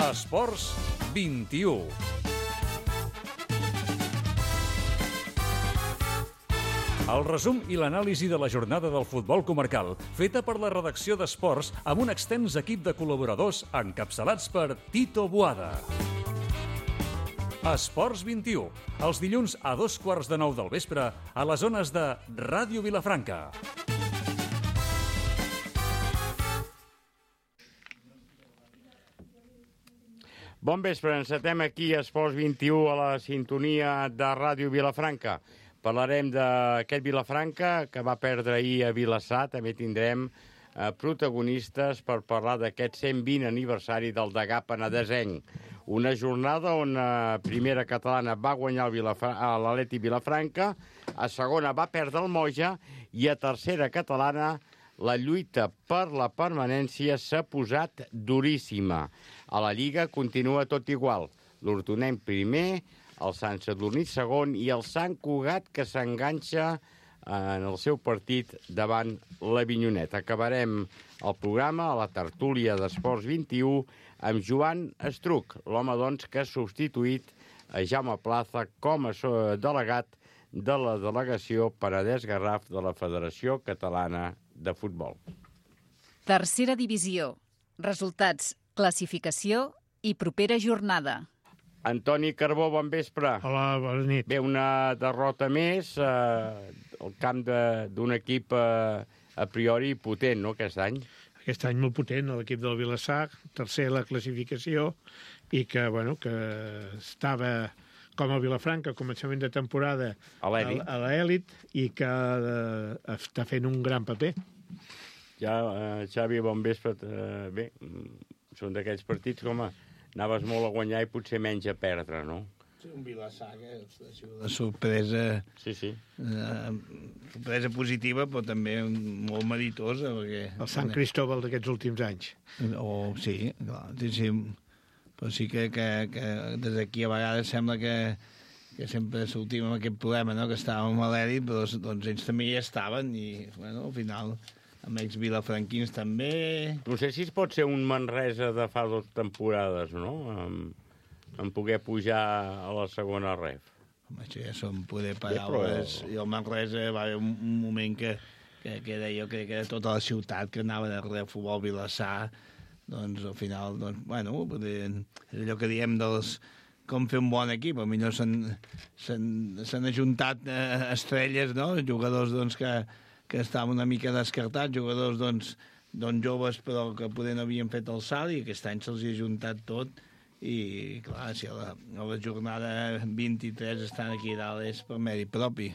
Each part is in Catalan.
Esports 21. El resum i l'anàlisi de la jornada del futbol comarcal, feta per la redacció d'Esports amb un extens equip de col·laboradors encapçalats per Tito Boada. Esports 21, els dilluns a 8:15 del vespre a les zones de Ràdio Vilafranca. Bon vespre, encetem aquí a Esports 21 a la sintonia de Ràdio Vilafranca. Parlarem d'aquest Vilafranca que va perdre ahir a Vilassar. També tindrem protagonistes per parlar d'aquest 120 aniversari del Degà penedesenc. Una jornada on a primera catalana va guanyar l'Atlètic Vilafranca, a segona va perdre el Moja i a tercera catalana la lluita per la permanència s'ha posat duríssima. A la Lliga continua tot igual. L'Hortonenc primer, el Sant Sadurní segon i el Sant Cugat que s'enganxa en el seu partit davant l'Avinyonet. Acabarem el programa a la tertúlia d'Esports 21 amb Joan Estruc, l'home doncs que ha substituït a Jaume Plaza com a delegat de la delegació Penedès-Garraf de la Federació Catalana de Futbol. Tercera divisió. Resultats, classificació i propera jornada. Antoni Carbó, bon vespre. Hola, bona nit. Bé, una derrota més al camp d'un equip a priori potent, no, aquest any? Aquest any molt potent, l'equip del Vilassar, tercer a la classificació, i que, bueno, que estava com el Vilafranca a començament de temporada a l'elit i que està fent un gran paper. Ja, Xavi, bon vespre. Bé, són d'aquells partits com anaves molt a guanyar i potser menys a perdre, no? Sí, un Vilassar que ha sigut una sorpresa, sorpresa positiva, però també molt meritosa. Perquè el Sant Cristóbal d'aquests últims anys. Sí, clar, sí. Però sí que des d'aquí a vegades sembla que sempre sortim amb aquest problema, no? Que estàvem a l'èlit, però doncs ells també hi estaven i, bueno, al final, amb ells vilafranquins també. No sé si es pot ser un Manresa de fa 2 temporades, no? En poder pujar a la segona ref. Home, això ja són poder paraules. I el Manresa va haver un moment que jo crec que era tota la ciutat que anava darrere del futbol Vilassar. Doncs al final, bueno, és allò que diem dels com fer un bon equip. Potser s'han ajuntat estrelles, no? Jugadors doncs, que estaven una mica descartats, jugadors doncs, joves però que poder no havien fet el salt i aquest any se'ls ha ajuntat tot i clar, si a la jornada 23 estan aquí dalt és per mèrit propi.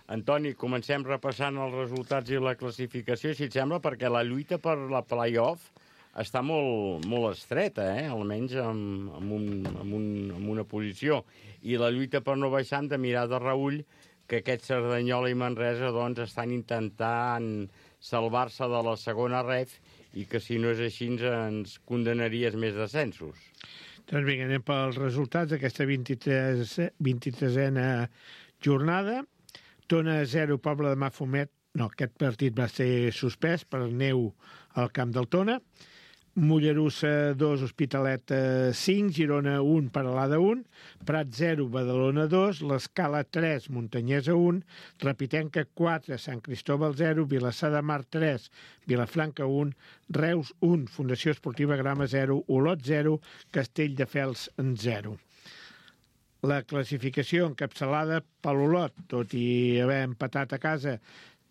Antoni, comencem repassant els resultats i la classificació, si et sembla, perquè la lluita per la play-off està molt estreta, almenys amb una posició. I la lluita per no baixar hem de mirar de reüll que aquest Cerdanyola i Manresa doncs, estan intentant salvar-se de la segona ref i que si no és així ens condemnaries més descensos. Doncs vinga, anem pels resultats d'aquesta 23a jornada. Tona 0, Pobla de Mafumet. No, aquest partit va ser suspès per neu al camp del Tona. Mollerussa 2, Hospitalet 5, Girona 1, Peralada 1, Prat 0, Badalona 2, l'Escala 3, Muntanyesa 1, Rapitenca 4, Sant Cristóbal 0, Vilassar de Mar 3, Vilafranca 1, Reus 1, Fundació Esportiva Grama 0, Olot 0, Castelldefels 0. La classificació encapçalada per l'Olot, tot i haver empatat a casa,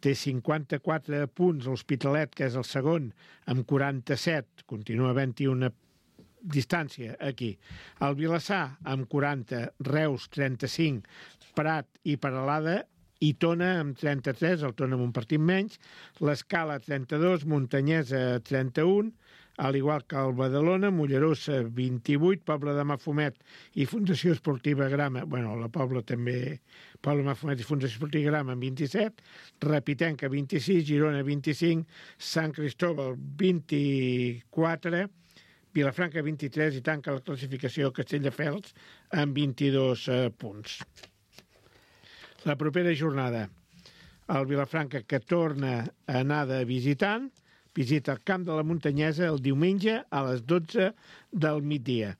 té 54 punts, l'Hospitalet, que és el segon, amb 47, continua havent-hi una distància aquí. El Vilassar, amb 40, Reus, 35, Prat i Peralada, i Tona, amb 33, el Tona amb un partit menys, l'Escala, 32, Muntanyesa, 31, al igual que el Badalona, Mollerussa, 28, Pobla de Mafumet i Fundació Esportiva Grama, bueno, la Pobla també, Pobla de Mafumet i Fundació Esportiva Grama amb 27, Rapitenca, 26, Girona, 25, Sant Cristóbal, 24, Vilafranca, 23, i tanca la classificació Castelldefels amb 22 punts. La propera jornada, el Vilafranca, que torna a anar de visitant, visita el camp de la Muntanyesa el diumenge a les 12 del migdia.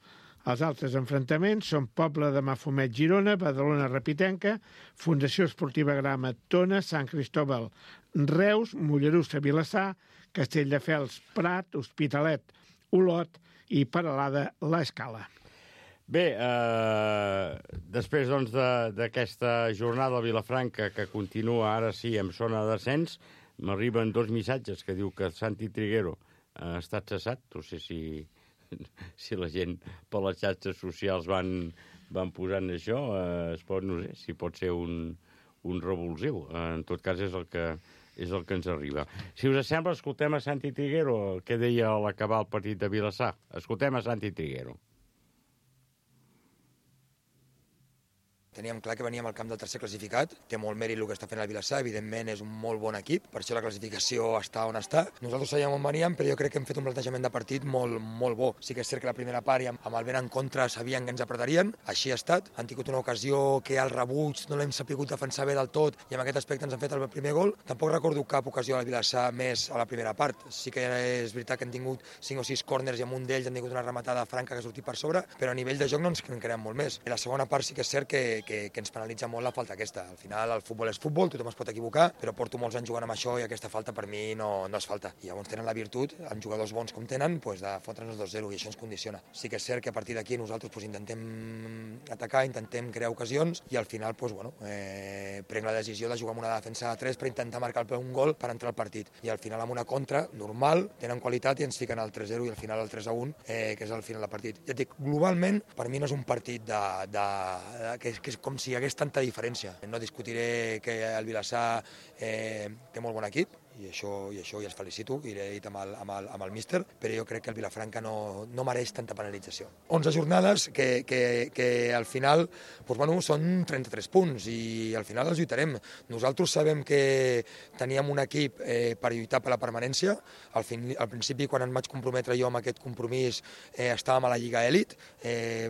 Els altres enfrontaments són Pobla de Mafumet Girona, Badalona Repitenca, Fundació Esportiva Grama Tona, Sant Cristòbal Reus, Mollerussa Vilassar, Castelldefels Prat, Hospitalet Olot i Peralada l'Escala. Bé, després doncs, d'aquesta jornada a Vilafranca, que continua ara sí en zona de descens, m'arriben 2 missatges que diu que Santi Triguero ha estat cessat. No sé si la gent per les xarxes socials van posant això, no sé, si pot ser un revulsiu. En tot cas és el que ens arriba. Si us sembla, escoltem a Santi Triguero, què deia a l'acabar el partit de Vilassar. Escoltem a Santi Triguero. Teníem clar que veníem al camp del tercer classificat, té molt mèrit el que està fent el Vilassar, evidentment és un molt bon equip, per això la classificació està on està. Nosaltres sabíem on veníem, però jo crec que hem fet un plantejament de partit molt bo. Sí que és cert que la primera part, amb el vent en contra, sabien que ens apretarien, així ha estat. Han tingut una ocasió que al rebuig no l'hem sabut defensar bé del tot i en aquest aspecte ens han fet el primer gol. Tampoc recordo cap ocasió al Vilassar més a la primera part. Sí que és veritat que han tingut 5 o 6 córners i amb un d'ells han tingut una rematada franca que ha sortit per sobre, però a nivell de joc no ens en creem molt més. I la segona part sí que és cert que ens penalitza molt la falta aquesta. Al final el futbol és futbol, tothom es pot equivocar, però porto molts anys jugant amb això i aquesta falta per mi no és falta. I llavors tenen la virtut, amb jugadors bons com tenen, de fotre'ns 2-0 i això ens condiciona. Sí que és cert que a partir d'aquí nosaltres intentem atacar, intentem crear ocasions i al final prenc la decisió de jugar amb una defensa de 3 per intentar marcar un gol per entrar al partit. I al final amb una contra normal tenen qualitat i ens fiquen el 3-0 i al final el 3-1, que és al final del partit. Ja et dic, globalment, per mi no és un partit que és com si hi hagués tanta diferència. No discutiré que el Vilassar té molt bon equip, i això ja els felicito, i l'he dit amb el míster, però jo crec que el Vilafranca no mereix tanta penalització. 11 jornades que al final són 33 punts i al final els lluitarem. Nosaltres sabem que teníem un equip per lluitar per la permanència. Al principi, quan em vaig comprometre jo amb aquest compromís, estàvem a la Lliga Elit,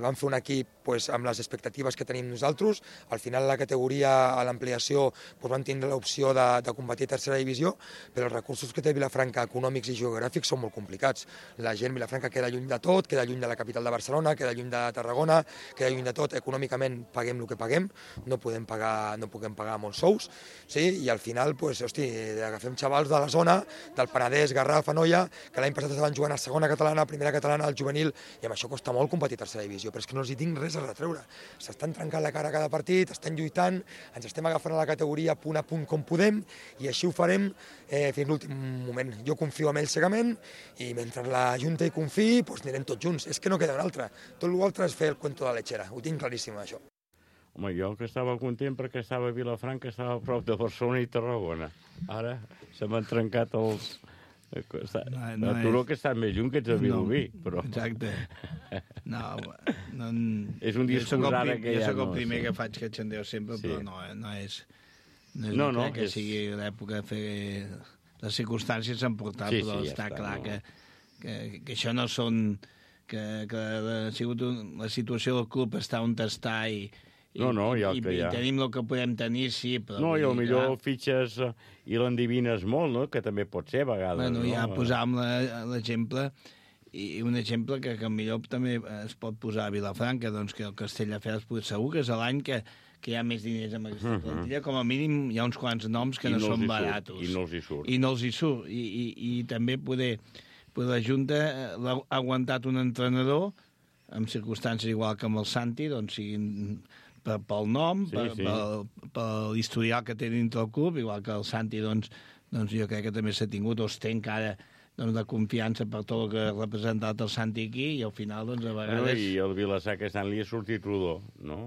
vam fer un equip amb les expectatives que tenim nosaltres. Al final, a la categoria, a l'ampliació, vam tindre l'opció de competir a tercera divisió, però els recursos que té Vilafranca, econòmics i geogràfics, són molt complicats. La gent Vilafranca queda lluny de tot, queda lluny de la capital de Barcelona, queda lluny de Tarragona, queda lluny de tot. Econòmicament paguem el que paguem, no podem pagar molts sous, sí? I al final, agafem xavals de la zona, del Penedès, Garraf, Anoia, que l'any passat estaven jugant a segona catalana, primera catalana, al juvenil, i amb això costa molt competir a tercera divisió, però és que no els hi tinc res a retreure. S'estan trencant la cara cada partit, estan lluitant, ens estem agafant a la categoria punt a punt com podem, i així ho farem fins l'últim moment. Jo confio en ells cegament i mentre la Junta hi confiï, anirem tots junts. És que no queda un altre. Tot l'altre és fer el cuento de la lechera. Ho tinc claríssim, això. Home, jo que estava content perquè estava a Vilafranca, estava a prop de Barcelona i Tarragona. Ara se m'han trencat els... A Turó que està més lluny que ets a Vilobí, però... Exacte. És un discurs ara que ja no... Jo soc el primer que faig que xandeu sempre, però no és... No crec que sigui l'època de fer... Les circumstàncies s'han portat, però està clar que això no són... Que ha sigut la situació del club està on està i tenim el que podem tenir, sí, però... No, i millor fitxes i l'endivines molt, no?, que també pot ser a vegades. Bueno, ja posàvem l'exemple, i un exemple que millor també es pot posar a Vilafranca, doncs que el Castelldefels segur que és l'any que hi ha més diners amb aquesta plantilla, com a mínim hi ha uns quants noms que no són baratos. I no els hi surt. I no els hi surt. I també poder la Junta ha aguantat un entrenador amb circumstàncies igual que amb el Santi, doncs siguin pel nom, per l'historial que té dintre el club, igual que el Santi, doncs jo crec que també s'ha tingut, o es té encara de confiança per tot el que ha representat el Santi aquí, i al final, doncs, a vegades... I el Vilassar aquest any li ha sortit rodó, no?,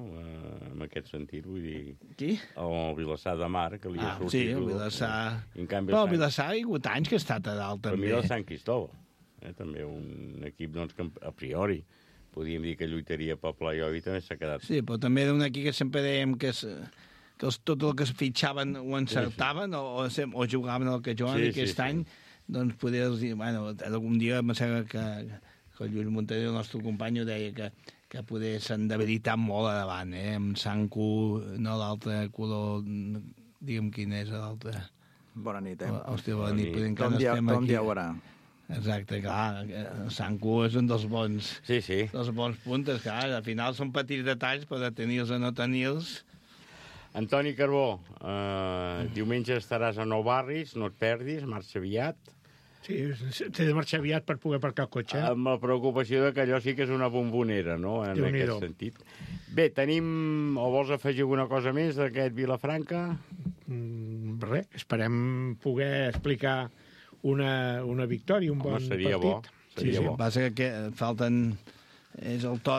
en aquest sentit, vull dir... Qui? El Vilassar de Mar, que li ha sortit rodó. Sí, el Vilassar... Però el Vilassar ha hagut anys que ha estat a dalt, també. Per mi el Sant Cristòbal, també un equip, doncs, que a priori podíem dir que lluitaria pel playoff i també s'ha quedat... Sí, però també era un equip que sempre dèiem que tot el que es fitxaven ho encertaven o jugaven el que juguen, i aquest any doncs poder dir, bueno, algun dia em sembla que el Lluís Montaner, el nostre company, deia que poder s'han debilitat molt a davant, amb Sanku, no l'altre color, digue'm quin és l'altre... Bona nit, Hòstia, bona nit. Tom Diawara. Exacte, clar. Sanku és un dels bons... Sí. Dels bons puntes, clar. Al final són petits detalls, però tenir-los o no tenir-los... Antoni Carbó, diumenge estaràs a Nou Barris, no et perdis, marxa aviat. Sí, t'he de marxar aviat per poder aparcar el cotxe. Amb la preocupació de que allò sí que és una bombonera, no?, en aquest sentit. Bé, tenim... O vols afegir alguna cosa més d'aquest Vilafranca? Res, esperem poder explicar una victòria, un bon seria partit. Seria bo. Passa que falten... És el to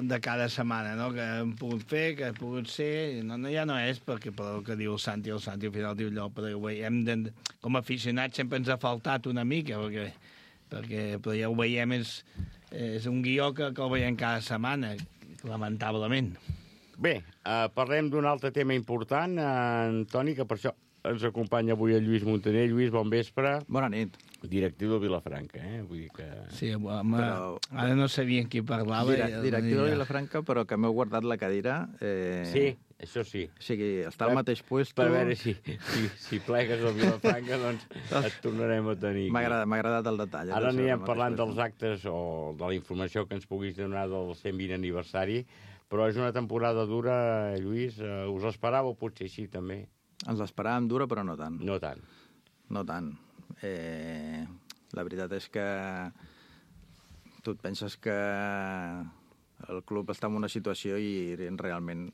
de cada setmana, no?, que hem pogut fer, que ha pogut ser... No, ja no és perquè pel que diu el Santi al final diu allò, però com a aficionats sempre ens ha faltat una mica, però ja ho veiem, és un guió que el veiem cada setmana, lamentablement. Bé, parlem d'un altre tema important, Antoni, que per això ens acompanya avui el Lluís Montaner. Lluís, bon vespre. Bona nit. Directiu de Vilafranca, Vull dir que... Sí, home, però... ara no sabia qui parlava. Directiu de Vilafranca, però que m'heu guardat la cadira. Sí, això sí. O sigui, està al mateix puesto... Per veure si plegues a Vilafranca, doncs et tornarem a tenir. M'ha agradat el detall. Ara anirem parlant dels actes o de la informació que ens puguis donar del 120 aniversari, però és una temporada dura, Lluís. Us l'esperàveu potser així, també? Ens l'esperàvem dura, però no tant. No tant. No tant. La veritat és que tu et penses que el club està en una situació i realment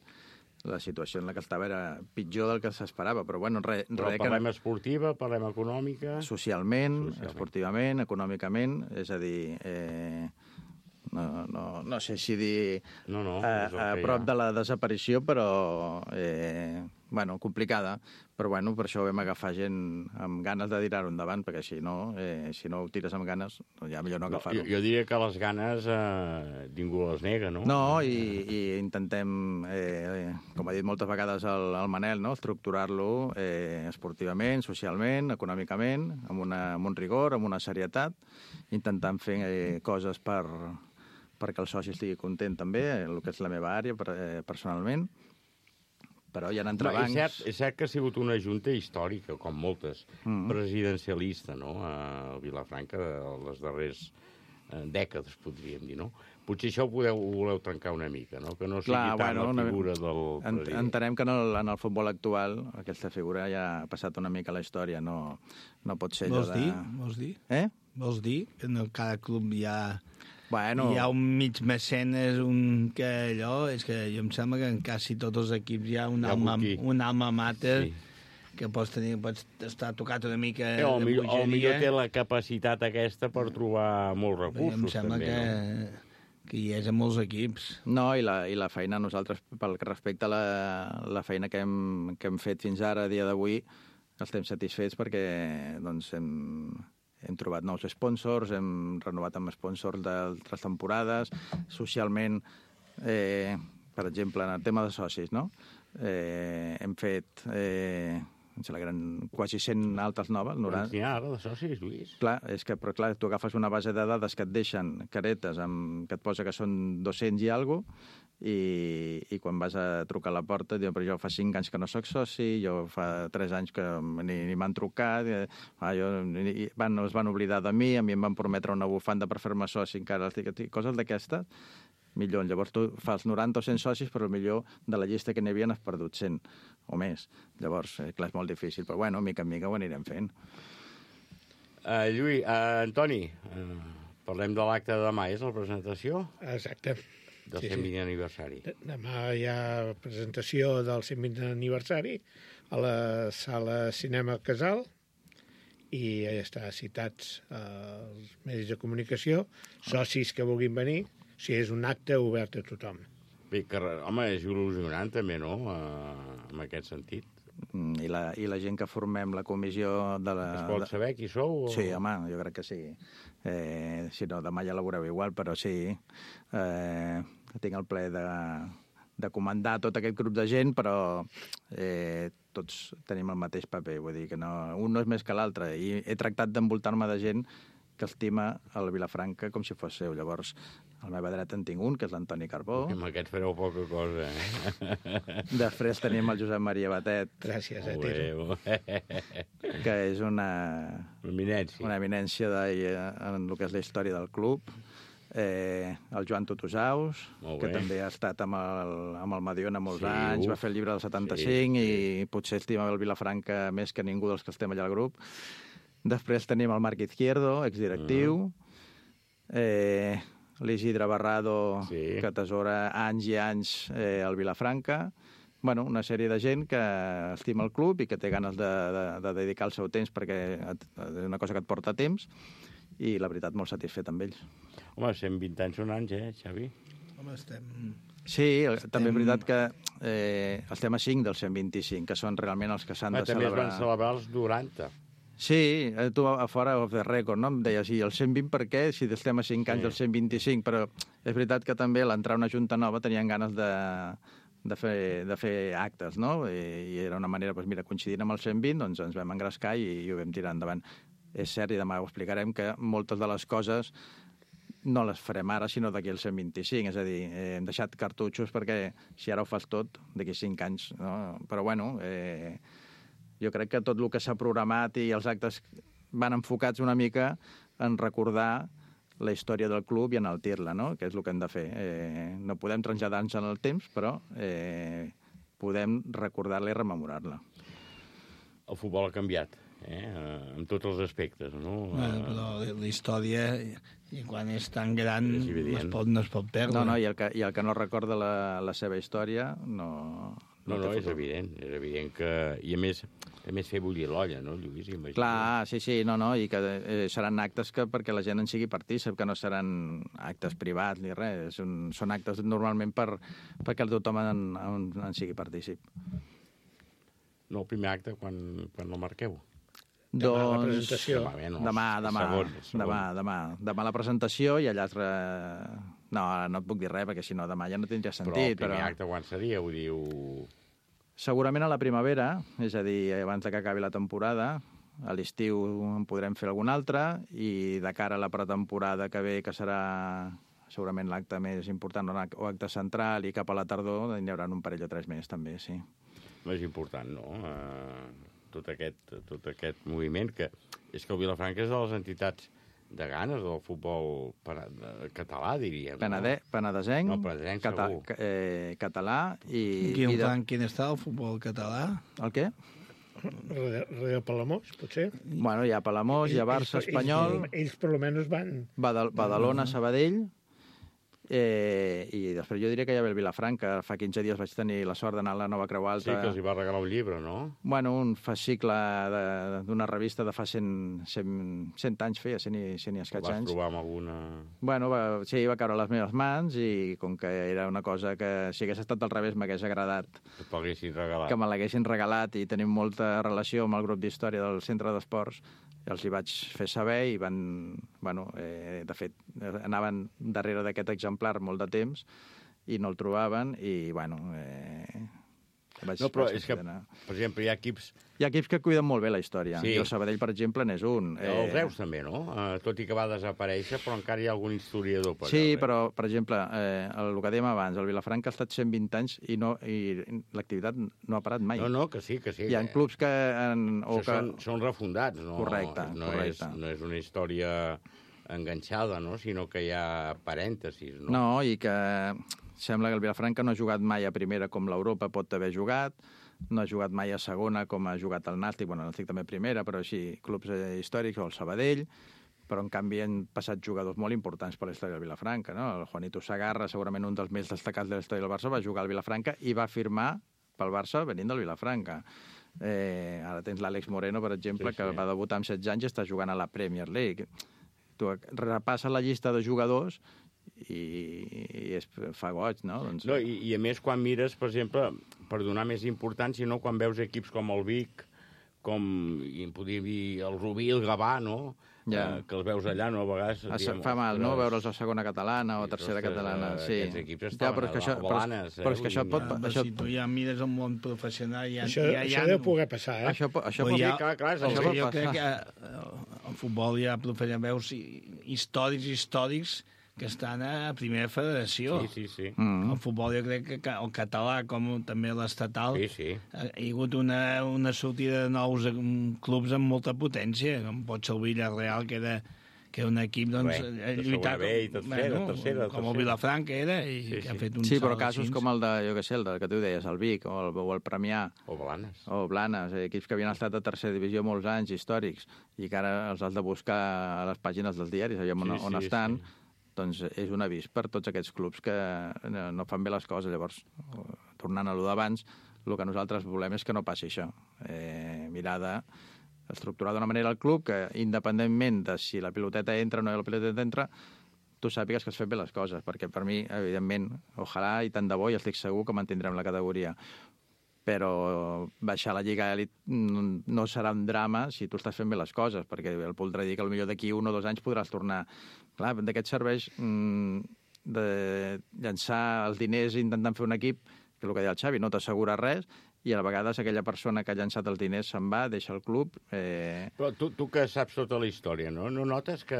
la situació en la que estava era pitjor del que s'esperava, però bueno, parlem esportiva, parlem econòmica... Socialment, esportivament, econòmicament, és a dir... No sé si dir a prop de la desaparició, però complicada. Però per això vam agafar gent amb ganes de tirar-ho endavant, perquè si no ho tires amb ganes, ja millor no agafar-ho. Jo diria que les ganes ningú les nega, no? No, i intentem, com ha dit moltes vegades el Manel, no?, estructurar-lo esportivament, socialment, econòmicament, amb un rigor, amb una serietat, intentant fer coses perquè el soci estigui content també, el que és la meva àrea personalment, però hi ha entrebancs... És cert que ha sigut una junta històrica, com moltes, presidencialista, no?, a Vilafranca, les darreres dècades, podríem dir, no? Potser això ho voleu trencar una mica, no?, que no sigui tant la figura del president. Entenem que en el futbol actual aquesta figura ja ha passat una mica a la història, no pot ser allò de... Vols dir? Vols dir que en cada club hi ha hi ha un mig mecenes, que allò... És que jo em sembla que en quasi tots els equips hi ha un alma mater que pots estar tocat una mica de bogeria. O millor té la capacitat aquesta per trobar molts recursos. Em sembla que hi és a molts equips. No, i la feina, nosaltres, pel que respecta a la feina que hem fet fins ara, a dia d'avui, estem satisfets perquè hem trobat nous sponsors, hem renovat amb sponsors d'altres temporades, socialment, per exemple, en el tema de socis, no? Hem fet quasi 100 altes noves. N'hi ha ara de socis, Lluís? Clar, tu agafes una base de dades que et deixen caretes que et posa que són 200 i alguna cosa, i quan vas a trucar a la porta diuen, però jo fa 5 anys que no soc soci, jo fa 3 anys que ni m'han trucat, es van oblidar de mi, a mi em van prometre una bufanda per fer-me soci, encara coses d'aquestes, millor. Llavors tu fas 90 o 100 socis, però millor de la llista que n'hi havia n'has perdut 100 o més. Llavors, clar, és molt difícil, però mica en mica ho anirem fent. Lluís, Antoni, parlem de l'acte de demà, és la presentació? Exacte. Del 120 aniversari. Demà hi ha presentació del 120 aniversari a la sala Cinema Casal i ja està citats els medis de comunicació, socis que vulguin venir, si és un acte obert a tothom. Bé, home, és il·lusionant també, no?, en aquest sentit. I la gent que formem la comissió de la... Es pot saber qui sou? Sí, home, jo crec que sí. Si no, demà ja la veureu igual, però sí. Tinc el plaer de comandar tot aquest grup de gent, però tots tenim el mateix paper, vull dir que un no és més que l'altre. I he tractat d'envoltar-me de gent que estima el Vilafranca com si fos seu. Llavors, a la meva dreta en tinc un, que és l'Antoni Carbó. Amb aquests fareu poca cosa, eh? Després tenim el Josep Maria Batet. Gràcies, Que és una eminència en el que és la història del club. El Joan Tutusaus, que també ha estat amb el Mediona molts anys, va fer el llibre del 75 i potser estima el Vilafranca més que ningú dels que estem allà al grup. Després tenim el Marc Izquierdo, exdirectiu, l'Isidre Barrado, que atesora anys i anys al Vilafranca. Bueno, una sèrie de gent que estima el club i que té ganes de dedicar el seu temps perquè és una cosa que et porta temps, i la veritat molt satisfet amb ells. Home, 120 anys són anys, Xavi? Home, estem... Sí, també és veritat que estem a 5 dels 125, que són realment els que s'han de celebrar. També es van celebrar els 90. Sí, tu a fora of the record, no? Em deies, el 120 per què? Si estem a 5 anys del 125, però és veritat que també l'entrar una junta nova tenien ganes de fer actes, no? I era una manera, doncs mira, coincidint amb el 120, doncs ens vam engrescar i ho vam tirar endavant. És cert, i demà ho explicarem, que moltes de les coses no les farem ara, sinó d'aquí al 125. És a dir, hem deixat cartutxos perquè si ara ho fas tot, d'aquí 5 anys, no? Però bueno, jo crec que tot el que s'ha programat i els actes van enfocats una mica en recordar la història del club i enaltir-la, no? Que és el que hem de fer. No podem traslladar-nos en el temps, però podem recordar-la i rememorar-la. El futbol ha canviat, en tots els aspectes, no? Però la història, i quan és tan gran, no es pot perdre. No, i el que no recorda la seva història no és evident que... I a més fer bullir l'olla, no, Lluís? Clar, sí, i que seran actes perquè la gent en sigui partícip, que no seran actes privats ni res, són actes normalment perquè tothom en sigui partícip. No, el primer acte, quan el marqueu? Demà la presentació. Demà la presentació i allà... No, no et puc dir res, perquè si no demà ja no tindria sentit. Però el primer acte quan seria, ho diu... Segurament a la primavera, és a dir, abans que acabi la temporada. A l'estiu en podrem fer algun altre, i de cara a la pretemporada que ve, que serà segurament l'acte més important, o acte central, i cap a la tardor n'hi haurà un parell o 3 més, també, sí. Més important, no? Tot aquest moviment, que és que el Vilafranca és de les entitats de ganes del futbol català, diríem. Penedesenc, no, penedesenc segur. Català i... Quin està el futbol català? El què? Darrere Palamós, potser? Bueno, hi ha Palamós, hi ha Barça, Espanyol... Ells per almenys van... Badalona, Sabadell... I després jo diria que hi ha el Vilafranca. Fa 15 dies vaig tenir la sort d'anar a la Nova Creu Alta. Sí, que els hi va regalar un llibre, no? Bueno, un fascicle d'una revista de fa 100 anys feia, 100 i escaig anys. Vas trobar amb alguna... Bueno, sí, va caure a les meves mans, i com que era una cosa que si hagués estat al revés m'hagués agradat que me l'haguessin regalat, i tenim molta relació amb el grup d'història del Centre d'Esports, els hi vaig fer saber i van... Bueno, de fet, anaven darrere d'aquest exemplar molt de temps i no el trobaven, i, bueno... No, però és que, per exemple, hi ha equips... Hi ha equips que cuiden molt bé la història. Sí. I el Sabadell, per exemple, n'és un. El Reus també, no? Tot i que va desaparèixer, però encara hi ha algun historiador. Sí, però, per exemple, el que dèiem abans, el Vilafranca ha estat 120 anys i l'activitat no ha parat mai. No, que sí. Hi ha clubs que... Són refundats, no? Correcte. No és una història enganxada, no? Sinó que hi ha parèntesis, no? No, i que sembla que el Vilafranca no ha jugat mai a primera com l'Europa pot haver jugat, no ha jugat mai a segona com ha jugat el Nàstic, bueno, el Nàstic també a primera, però així, clubs històrics, o el Sabadell, però en canvi han passat jugadors molt importants per la història del Vilafranca, no? El Juanito Segarra, segurament un dels més destacats de la història del Barça, va jugar al Vilafranca i va firmar pel Barça venint del Vilafranca. Ara tens l'Àlex Moreno, per exemple, que va debutar amb 16 anys i està jugant a la Premier League. Tu repasses la llista de jugadors i fa goig, no? Doncs... No, i a més, quan mires, per exemple, per donar més importància, no? Quan veus equips com el Vic, com, i en podria dir, el Rubí, el Gavà, no? Que els veus allà, no? A vegades... Fa mal, no?, veure'ls a segona catalana o tercera catalana. Sí. Aquests equips estaven a Blanes. Però és que això pot... Si tu ja mires el món professional... Això deu poder passar, eh? Això pot passar. Jo crec que el futbol hi ha veus històrics que estan a primera federació. Sí. El futbol, jo crec que el català, com també l'estatal, Sí. ha hagut una sortida de nous clubs amb molta potència, com pot ser el Villarreal, que era un equip lluitat com el Vilafranca era i que ha fet un sí, però salt casos així. com el de, jo què sé, el que tu deies, el Vic o el Premià O Blanes. o Blanes, equips que havien estat a tercera divisió molts anys, històrics, i que ara els has de buscar a les pàgines dels diaris, aviam on estan, doncs és un avís per tots aquests clubs que no fan bé les coses. Llavors, tornant a allò d'abans, el que nosaltres volem és que no passi això. Mirar d'estructurar d'una manera el club que, independentment de si la piloteta entra o no la piloteta entra, tu sàpigues que has fet bé les coses, perquè per mi, evidentment, ojalà i tant de bo, i estic segur que mantindrem la categoria. Però baixar a la Lliga Elit no serà un drama si tu estàs fent bé les coses, perquè el voldrà dir que potser d'aquí 1 o 2 anys podràs tornar. Clar, d'aquest serveix de llançar els diners intentant fer un equip, que és el que deia el Xavi, no t'assegura res, i a vegades aquella persona que ha llançat els diners se'n va, deixa el club... Però tu que saps tota la història, no notes que,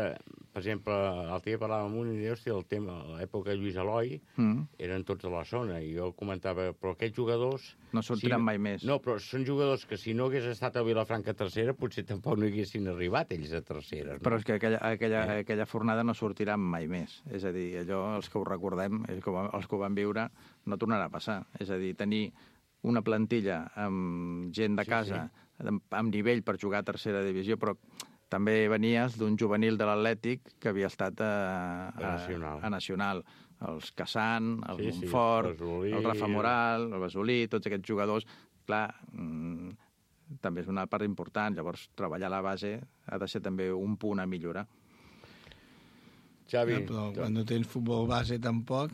per exemple, l'altre dia parlàvem amb un i deia, hòstia, el tema, a l'època de Lluís Eloi, eren tots a la zona, i jo comentava, però aquests jugadors... No sortiran mai més. No, però són jugadors que si no hagués estat a Vilafranca tercera, potser tampoc no haguessin arribat ells a tercera. No? Però és que aquella fornada no sortiran mai més. És a dir, allò, els que ho recordem, els que ho van viure, no tornarà a passar. És a dir, tenir una plantilla amb gent de casa, amb nivell per jugar a tercera divisió, però també venies d'un juvenil de l'Atlètic que havia estat a Nacional. Els Cassan, el Montfort, el Rafa Moral, el Basolí, tots aquests jugadors, clar, també és una part important. Llavors, treballar a la base ha de ser també un punt a millorar. Xavi, però quan no tens futbol base tampoc...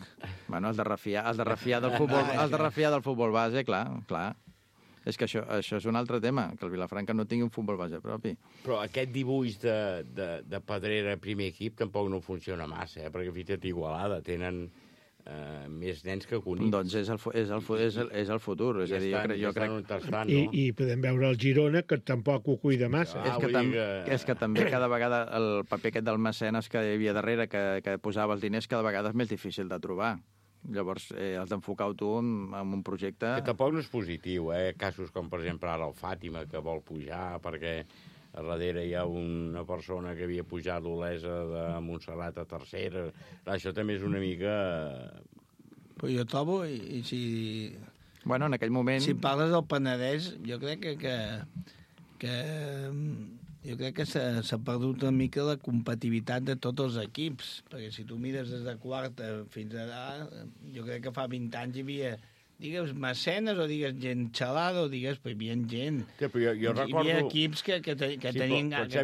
Bueno, has de refiar del futbol base, clar. És que això és un altre tema, que el Vilafranca no tingui un futbol base propi. Però aquest dibuix de Pedrera primer equip tampoc no funciona massa, perquè fins i tot Igualada tenen més nens que Cunit. Doncs és el futur. És a dir, jo crec... I podem veure el Girona, que tampoc ho cuida massa. És que també cada vegada el paper aquest del mecenes que hi havia darrere, que posava els diners, cada vegada és més difícil de trobar. Llavors, has d'enfocar-ho tu en un projecte... Que tampoc no és positiu, casos com, per exemple, ara el Fàtima, que vol pujar perquè a darrere hi ha una persona que havia pujat l'Olesa de Montserrat a tercera. Això també és una mica... Però jo trobo, i si... Bueno, en aquell moment... Si parles del Penedès, jo crec que s'ha perdut una mica la competitivitat de tots els equips, perquè si tu mires des de quarta fins a... Jo crec que fa 20 anys hi havia, digues, mecenes, o digues gent xalada, o digues, però hi havia gent. Sí, però jo recordo... Hi havia equips que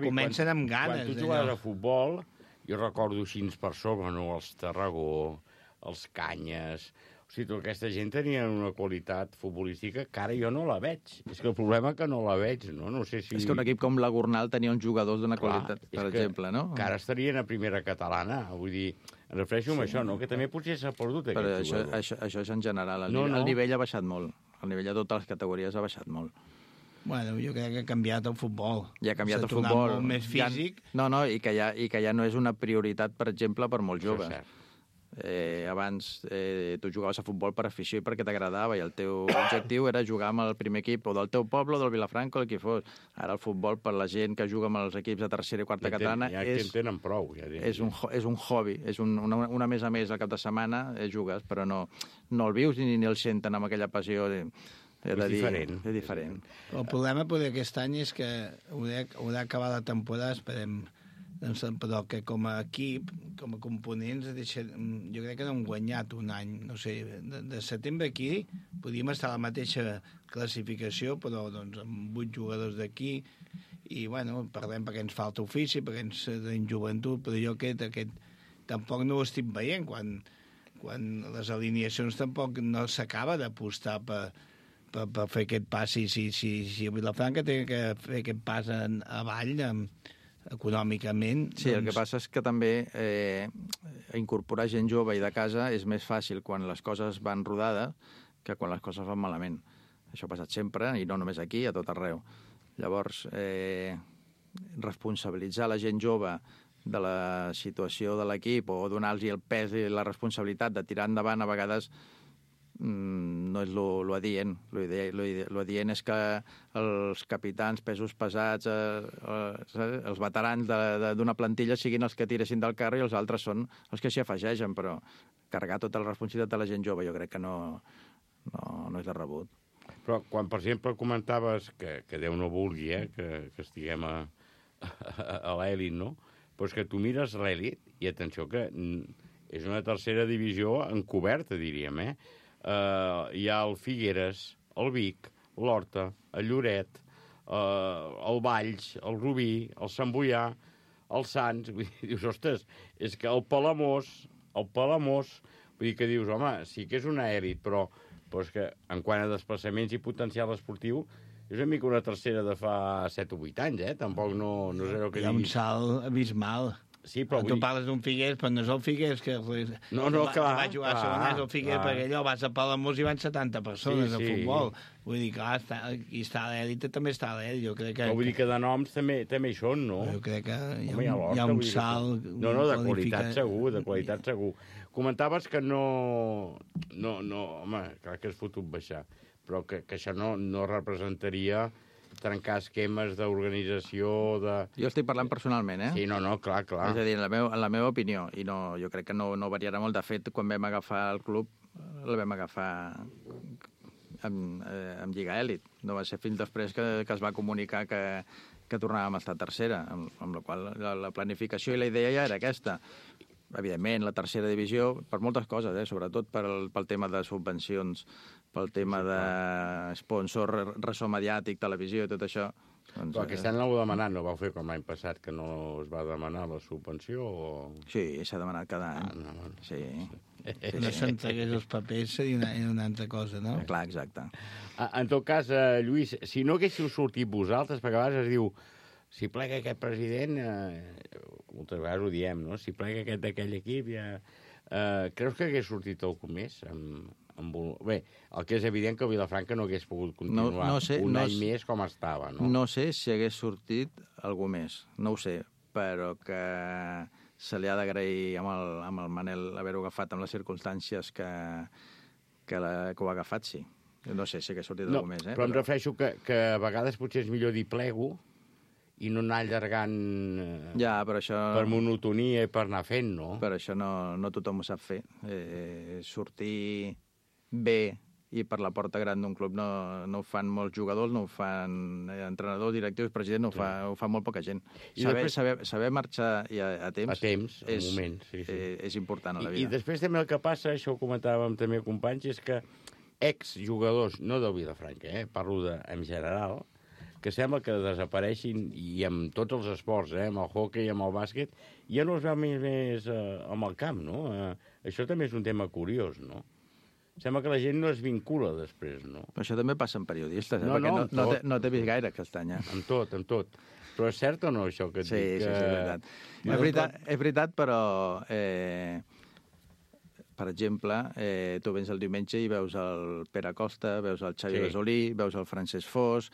comencen amb ganes. Quan tu jugaves a futbol, jo recordo així per sobre, no? Els Tarragó, els Canyes... O sigui, tota aquesta gent tenia una qualitat futbolística que ara jo no la veig. És que el problema és que no la veig, no? No sé si... És que un equip com la Gornal tenia uns jugadors d'una qualitat, per exemple, no? Que ara estarien a primera catalana. Vull dir, em refereixo a això, no? Que també potser s'ha perdut aquest jugador. Però això és en general. El nivell ha baixat molt. El nivell de totes les categories ha baixat molt. Bueno, jo crec que ha canviat el futbol. Ja ha canviat el futbol. Molt més físic. I que ja no és una prioritat, per exemple, per molts joves. Això és cert. Abans tu jugaves a futbol per afició i perquè t'agradava i el teu objectiu era jugar amb el primer equip o del teu poble o del Vilafranca o el que fos. Ara el futbol, per la gent que juga amb els equips de tercera i quarta catalana, en tenen prou. És un hobby, és una més a més al cap de setmana jugues, però no el vius ni el senten amb aquella passió És diferent. El problema aquest any és que haurà acabar la temporada, esperem, però que com a equip, com a components, jo crec que no hem guanyat un any. No sé, de setembre aquí podíem estar a la mateixa classificació, però doncs, amb 8 jugadors d'aquí, i bueno, parlem perquè ens falta ofici, perquè ens tenim joventut, però jo aquest tampoc no ho estic veient, quan les alineacions tampoc no s'acaba d'apostar per fer aquest pas. Si Vilafranca té que fer aquest pas avall econòmicament... Sí, el que passa és que també incorporar gent jove i de casa és més fàcil quan les coses van rodades que quan les coses van malament. Això ha passat sempre, i no només aquí, a tot arreu. Llavors, responsabilitzar la gent jove de la situació de l'equip o donar-los el pes i la responsabilitat de tirar endavant, a vegades no és lo adient. Lo adient és que els capitans, pesos pesats, els veterans d'una plantilla siguin els que tiressin del carro i els altres són els que s'hi afegeixen, però carregar tota la responsabilitat de la gent jove jo crec que no és de rebut. Però quan, per exemple, comentaves que Déu no vulgui que estiguem a l'elit, no? Però és que tu mires l'elit, i atenció que és una tercera divisió encoberta, diríem, hi ha el Figueres, el Vic, l'Horta, el Lloret, el Valls, el Rubí, el Sant Boià, el Sants... Dius, ostres, és que el Palamós, vull dir que dius, home, sí que és una elit, però és que en quant a desplaçaments i potencial esportiu és una mica una tercera de fa 7 o 8 anys, Tampoc no és allò que diguis. Hi ha un salt abismal. Sí, però tu parles d'un Figueres, però no és el Figueres que clar, va jugar a segona, és el Figueres, perquè allò vas a Palamós i van 70 persones a futbol. Vull dir, clar, qui està a l'èlit també està a l'èlit. Jo crec que... Vull dir que de noms també hi són, no? Jo crec que hi ha un salt... No, de qualitat segur, Comentaves que no... Home, clar que és fotut baixar, però que això no representaria trencar esquemes d'organització... Jo estic parlant personalment, Sí, no, clar. És a dir, en la meva opinió, i jo crec que no variarà molt. De fet, quan vam agafar el club, el vam agafar amb Lliga Elit. No va ser fins després que es va comunicar que tornàvem a estar tercera, amb la qual la planificació i la idea ja era aquesta. Evidentment, la tercera divisió, per moltes coses, sobretot pel tema de subvencions, pel tema de sponsor, ressò mediàtic, televisió i tot això. Doncs, però aquest any l'heu demanat, no vau fer com l'any passat, que no es va demanar la subvenció? O... Sí, s'ha demanat cada any. Sí. No s'entregués els papers seria una altra cosa, no? Clar, exacte. En tot cas, Lluís, si no haguéssiu sortit vosaltres, perquè a vegades es diu si plega aquest president, moltes vegades ho diem, no? Si plega aquest d'aquell equip, creus que hagués sortit algú més? Bé, el que és evident que Vilafranca no hagués pogut continuar un any més com estava, no? No sé si hagués sortit algú més, no ho sé, però que se li ha d'agrair amb el Manel haver-ho agafat amb les circumstàncies que ho ha agafat, sí. No sé si hagués sortit algú més, però em refereixo que a vegades potser és millor dir plego i no anar allargant però això... per monotonia i per anar fent, no? Però això no tothom ho sap fer. Sortir bé i per la porta gran d'un club no ho fan molts jugadors, no ho fan entrenadors, directius, president, ho fa molt poca gent. Saber marxar a temps... A temps, al moment, sí. És important a la vida. I després també el que passa, això ho comentàvem també companys, és que exjugadors, no del Vilafranca, parlo en general, que sembla que desapareixin, i amb tots els esports, amb el hoquei, amb el bàsquet, ja no es veu més amb el camp, no? Això també és un tema curiós, no? Sembla que la gent no es vincula després, no? Però això també passa en periodistes, perquè no t'he vist gaire aquest any. Amb tot. Però és cert o no, això que et dic? Sí, és veritat. És veritat, però... Per exemple, tu vens el diumenge i veus el Pere Costa, veus el Xavi Besolí, veus el Francesc Fos,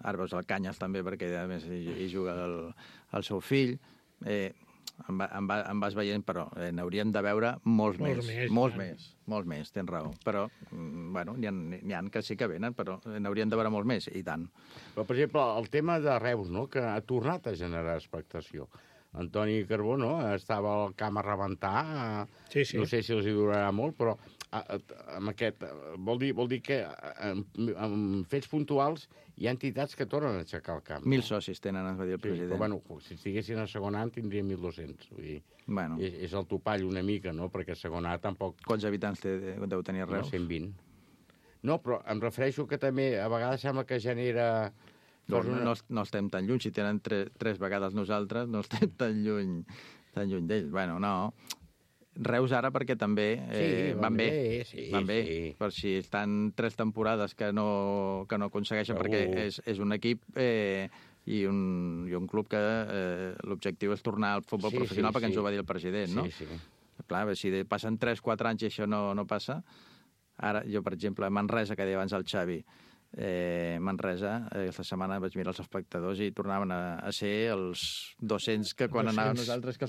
ara veus el Canyes també, perquè a més hi juga el seu fill. Em vas veient, però n'hauríem de veure molts més, tens raó. Però, bueno, n'hi ha que sí que venen, però n'hauríem de veure molts més, i tant. Però, per exemple, el tema de Reus, no?, que ha tornat a generar expectació. Antoni Carbó, no?, estava al camp a rebentar, no sé si els hi durarà molt, però amb aquest... Vol dir que en fets puntuals hi ha entitats que tornen a aixecar el camp. 1.000 socis tenen, ens va dir el president. Però, bueno, si estiguessin a segon any tindria 1.200. Vull dir, és el topall una mica, no?, perquè a segon any tampoc... Quants habitants deu tenir Reus? 120. No, però em refereixo que també a vegades sembla que genera... No estem tan lluny. Si tenen 3 vegades nosaltres, no estem tan lluny d'ells. Bueno, no. Reus ara perquè també van bé. Van bé. Per si estan 3 temporades que no aconsegueixen, perquè és un equip i un club que l'objectiu és tornar al futbol professional, perquè ens ho va dir el president, no? Clar, si passen 3-4 anys i això no passa... Ara, jo, per exemple, a Manresa, que deia abans el Xavi, Manresa, aquesta setmana vaig mirar els espectadors i tornaven a ser els 200 que quan anàvem nosaltres, que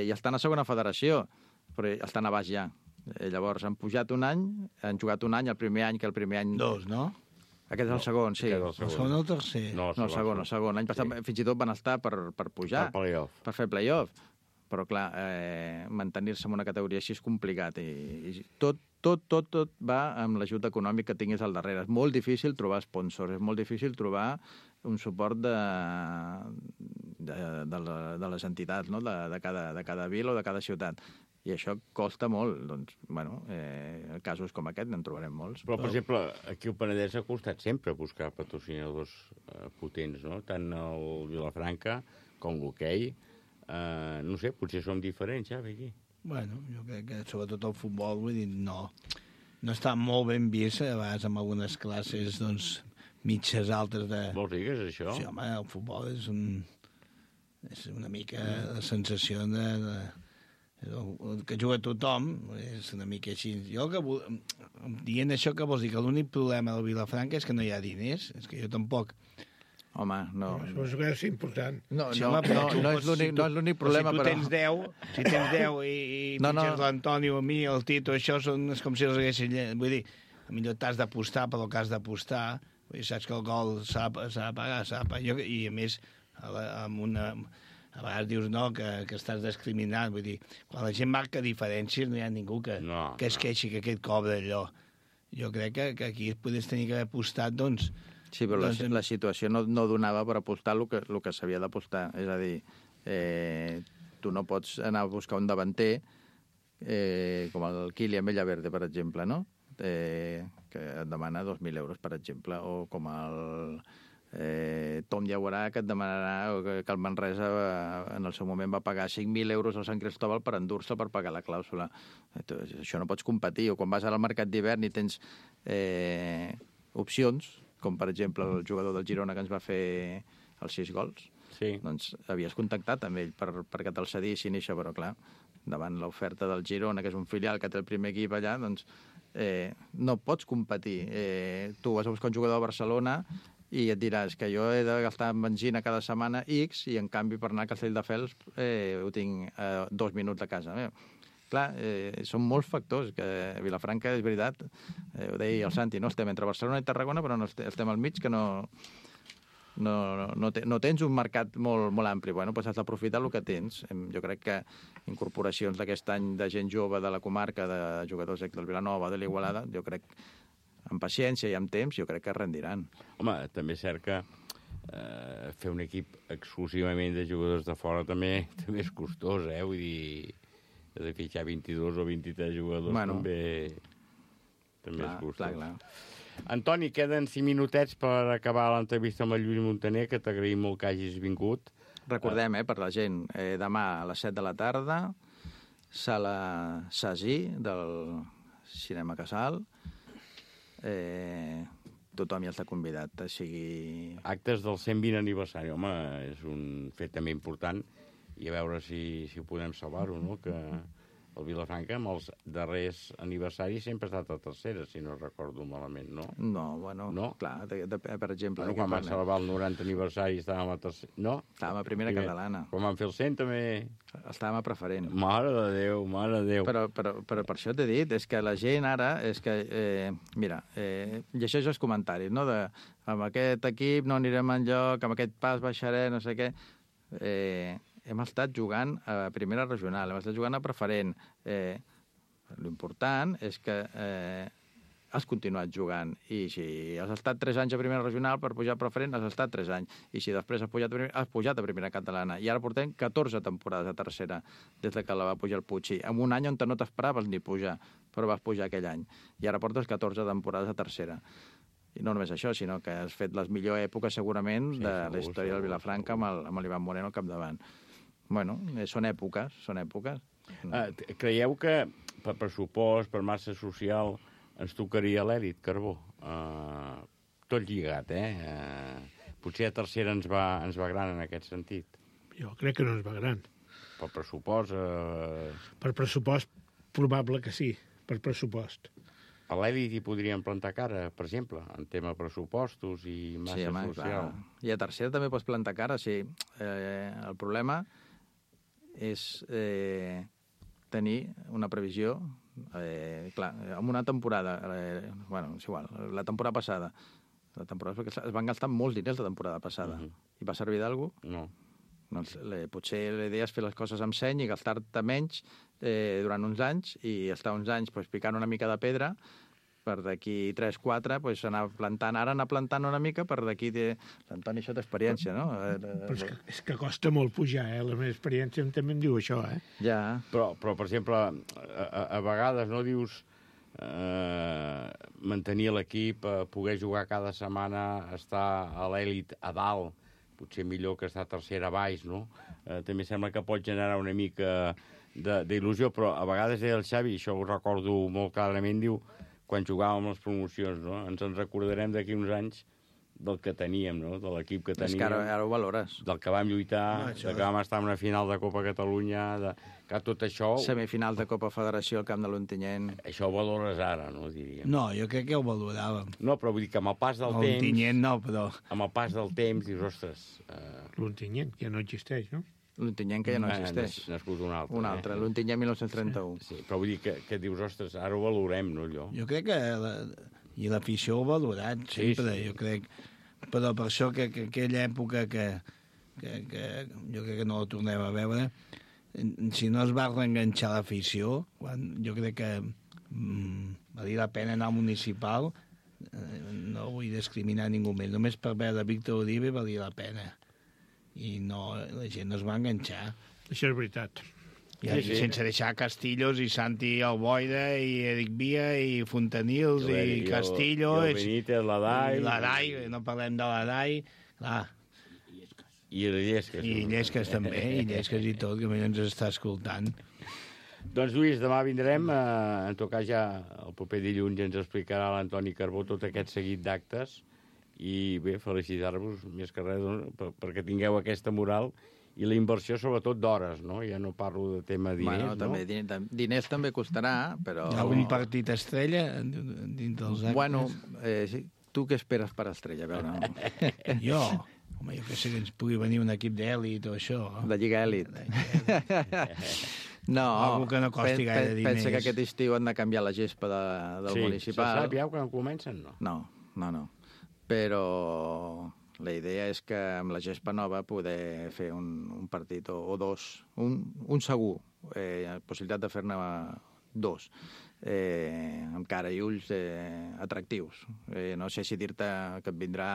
i estan a segona federació, però estan a baix ja. Llavors han pujat un any, han jugat un any, el primer any, que el primer any... 2, no? Aquest és el segon, sí. El segon o el tercer? No, el segon. L'any passat fins i tot van estar per pujar. Per fer playoff. Però, clar, mantenir-se en una categoria així és complicat. I tot va amb l'ajut econòmic que tinguis al darrere. És molt difícil trobar sponsors, és molt difícil trobar un suport de les entitats, no? de cada vila o de cada ciutat. I això costa molt. Doncs, bueno, casos com aquest en trobarem molts. Però, per exemple, aquí al Penedès ha costat sempre buscar patrocinadors potents, no? Tant el Vilafranca com l'hoquei. No sé, potser som diferents, ja, aquí. Bueno, jo crec que sobretot el futbol, vull dir, no està molt ben vist, a vegades amb algunes classes, doncs, mitges altes de... Vols dir que és això? Sí, home, el futbol és una mica la sensació que juga tothom, és una mica així. Jo dient això, que vols dir que l'únic problema del Vilafranca és que no hi ha diners, és que jo tampoc... Home, no. Això és important. No és l'únic problema, però... Si tens 10 i pitges l'Antonio, a mi, el Tito, això és com si els haguessin... Vull dir, millor t'has d'apostar per el que has d'apostar, saps que el gol s'ha de pagar, i a més, amb una... A vegades dius, no, que estàs discriminant, vull dir, quan la gent marca diferències no hi ha ningú que es queixi que aquest cobra allò. Jo crec que aquí podries tenir que haver apostat, doncs... Sí, però la situació no donava per apostar el que s'havia d'apostar. És a dir, tu no pots anar a buscar un davanter com el Kylian Villaverde, per exemple, no? Que et demana 2.000 euros, per exemple, o com el Tom Llaurà, que et demanarà, o que el Manresa en el seu moment va pagar 5.000 euros al Sant Cristóbal per endur-se per pagar la clàusula. Això no pots competir. O quan vas al mercat d'hivern i tens opcions, com per exemple el jugador del Girona que ens va fer els 6 gols, doncs havies contactat amb ell perquè te'l cedissin i això, però clar, davant l'oferta del Girona, que és un filial que té el primer equip allà, doncs no pots competir. Tu vas a buscar un jugador a Barcelona i et diràs que jo he de gastar en benzina cada setmana X i en canvi per anar a Castelldefels ho tinc a 2 minuts de casa meva. Clar, són molts factors, que Vilafranca, és veritat, ho deia el Santi, no estem entre Barcelona i Tarragona, però no estem al mig, que no tens un mercat molt ampli. Bueno, doncs has d'aprofitar el que tens. Jo crec que incorporacions d'aquest any de gent jove de la comarca, de jugadors del Vilanova, de l'Igualada, jo crec, amb paciència i amb temps, jo crec que rendiran. Home, també és cert que fer un equip exclusivament de jugadors de fora també és costós, vull dir... de fitxar 22 o 23 jugadors també és costós. Clar. Antoni, queden 5 minutets per acabar l'entrevista amb el Lluís Montaner, que t'agraïm molt que hagis vingut. Recordem, per la gent, demà a les 7 de la tarda, sala Sasí del Cinema Casal. Tothom hi està convidat, sigui... Actes del 120 aniversari, home, és un fet també important, i a veure si ho podem salvar-ho, no? Que el Vilafranca, amb els darrers aniversaris, sempre ha estat a tercera, si no recordo malament, no? No, bueno, clar, per exemple... Bueno, quan van celebrar el 90 aniversari estàvem a tercera... No? Estàvem a primera catalana. Quan van fer el 100 també... Estàvem a preferent. Mare de Déu. Però per això t'he dit, és que la gent ara, és que... Mira, llegeix els comentaris, no? Amb aquest equip no anirem enlloc, amb aquest pas baixaré, no sé què... Hem estat jugant a primera regional, hem estat jugant a preferent. L'important és que has continuat jugant. I si has estat 3 anys a primera regional per pujar a preferent, has estat 3 anys. I si després has pujat a primera catalana. I ara portem 14 temporades a tercera, des que la va pujar el Puig. En un any on no t'esperaves ni pujar, però vas pujar aquell any. I ara portes 14 temporades a tercera. I no només això, sinó que has fet les millors èpoques, segurament, de la història del Vilafranca amb l'Ivan Moreno al capdavant. Bueno, són èpoques. Creieu que per pressupost, per massa social, ens tocaria l'èlit, Carbó? Tot lligat, Potser a tercera ens va gran en aquest sentit. Jo crec que no ens va gran. Per pressupost... Per pressupost, probable que sí, per pressupost. A l'Elit hi podrien plantar cara, per exemple, en tema pressupostos i massa social. Clar. I a tercera també pots plantar cara, sí. El problema és tenir una previsió, clar, en una temporada, bueno, és igual, la temporada passada, perquè es van gastar molts diners la temporada passada. I va servir d'algú? No. Doncs, potser la idea és fer les coses amb seny i gastar-te menys durant uns anys i estar uns anys picant una mica de pedra per d'aquí 3-4 anar plantant una mica per d'aquí... L'Antoni, això d'experiència, no? Però és que costa molt pujar, La meva experiència també em diu això, Ja. Però per exemple, a vegades, no, dius mantenir l'equip, poder jugar cada setmana, estar a l'èlit a dalt, potser millor que estar tercera a baix, no? També sembla que pot generar una mica d'il·lusió, però a vegades deia el Xavi, això ho recordo molt clarament, diu, quan jugàvem les promocions, no? Ens en recordarem d'aquí uns anys del que teníem, no? De l'equip que teníem. És que ara ho valores. Del que vam lluitar, que vam estar en una final de Copa Catalunya, que tot això... Semifinals de Copa Federació al camp de l'Ontinyent. Això ho valores ara, no, diríem. No, jo crec que ho valoràvem. No, però vull dir que amb el pas del temps... L'Ontinyent no, però... Amb el pas del temps dius, ostres... L'Ontinyent, que ja no existeix, no? L'Ontinyent que ja no existeix. Nascut un altre. Un altre, l'Ontinyent 1931. Sí, però vull dir que dius, ostres, ara ho valorem, no, allò? Jo crec que... I l'afició ho ha valorat, sempre, jo crec. Però per això que aquella època que jo crec que no la tornem a veure, si no es va reenganxar l'afició, jo crec que valia la pena anar al municipal, no vull discriminar ningú més, només per veure Víctor Uribe valia la pena. I no, la gent no es va enganxar. Això és veritat. I sense deixar Castillos i Santi Alboida i Eric Via i Fontanils i Castillo i el Benítez, l'Adai, no parlem de l'Adai, clar. I Llesques. I Llesques també, i Llesques i tot, que ens està escoltant. Doncs, Lluís, demà vindrem, en tot cas ja el proper dilluns ens explicarà l'Antoni Carbó tot aquest seguit d'actes i bé, felicitar-vos més que res perquè tingueu aquesta moral i la inversió sobretot d'hores, no? Ja no parlo de tema diners, també, diners també costarà, però... Hi ha algun partit estrella dintre dels actes? Bueno, tu què esperes per estrella? A veure. Jo? Home, jo que sé que ens pugui venir un equip d'èlit o això. De Lliga Èlit. No, algú que no costi gaire diners. Pensa que aquest estiu han de canviar la gespa del municipal. Se sap ja quan comencen, no? No. Però la idea és que amb la gespa nova poder fer un partit o dos, un segur, possibilitat de fer-ne dos, amb cara i ulls atractius. No sé si dir-te que et vindrà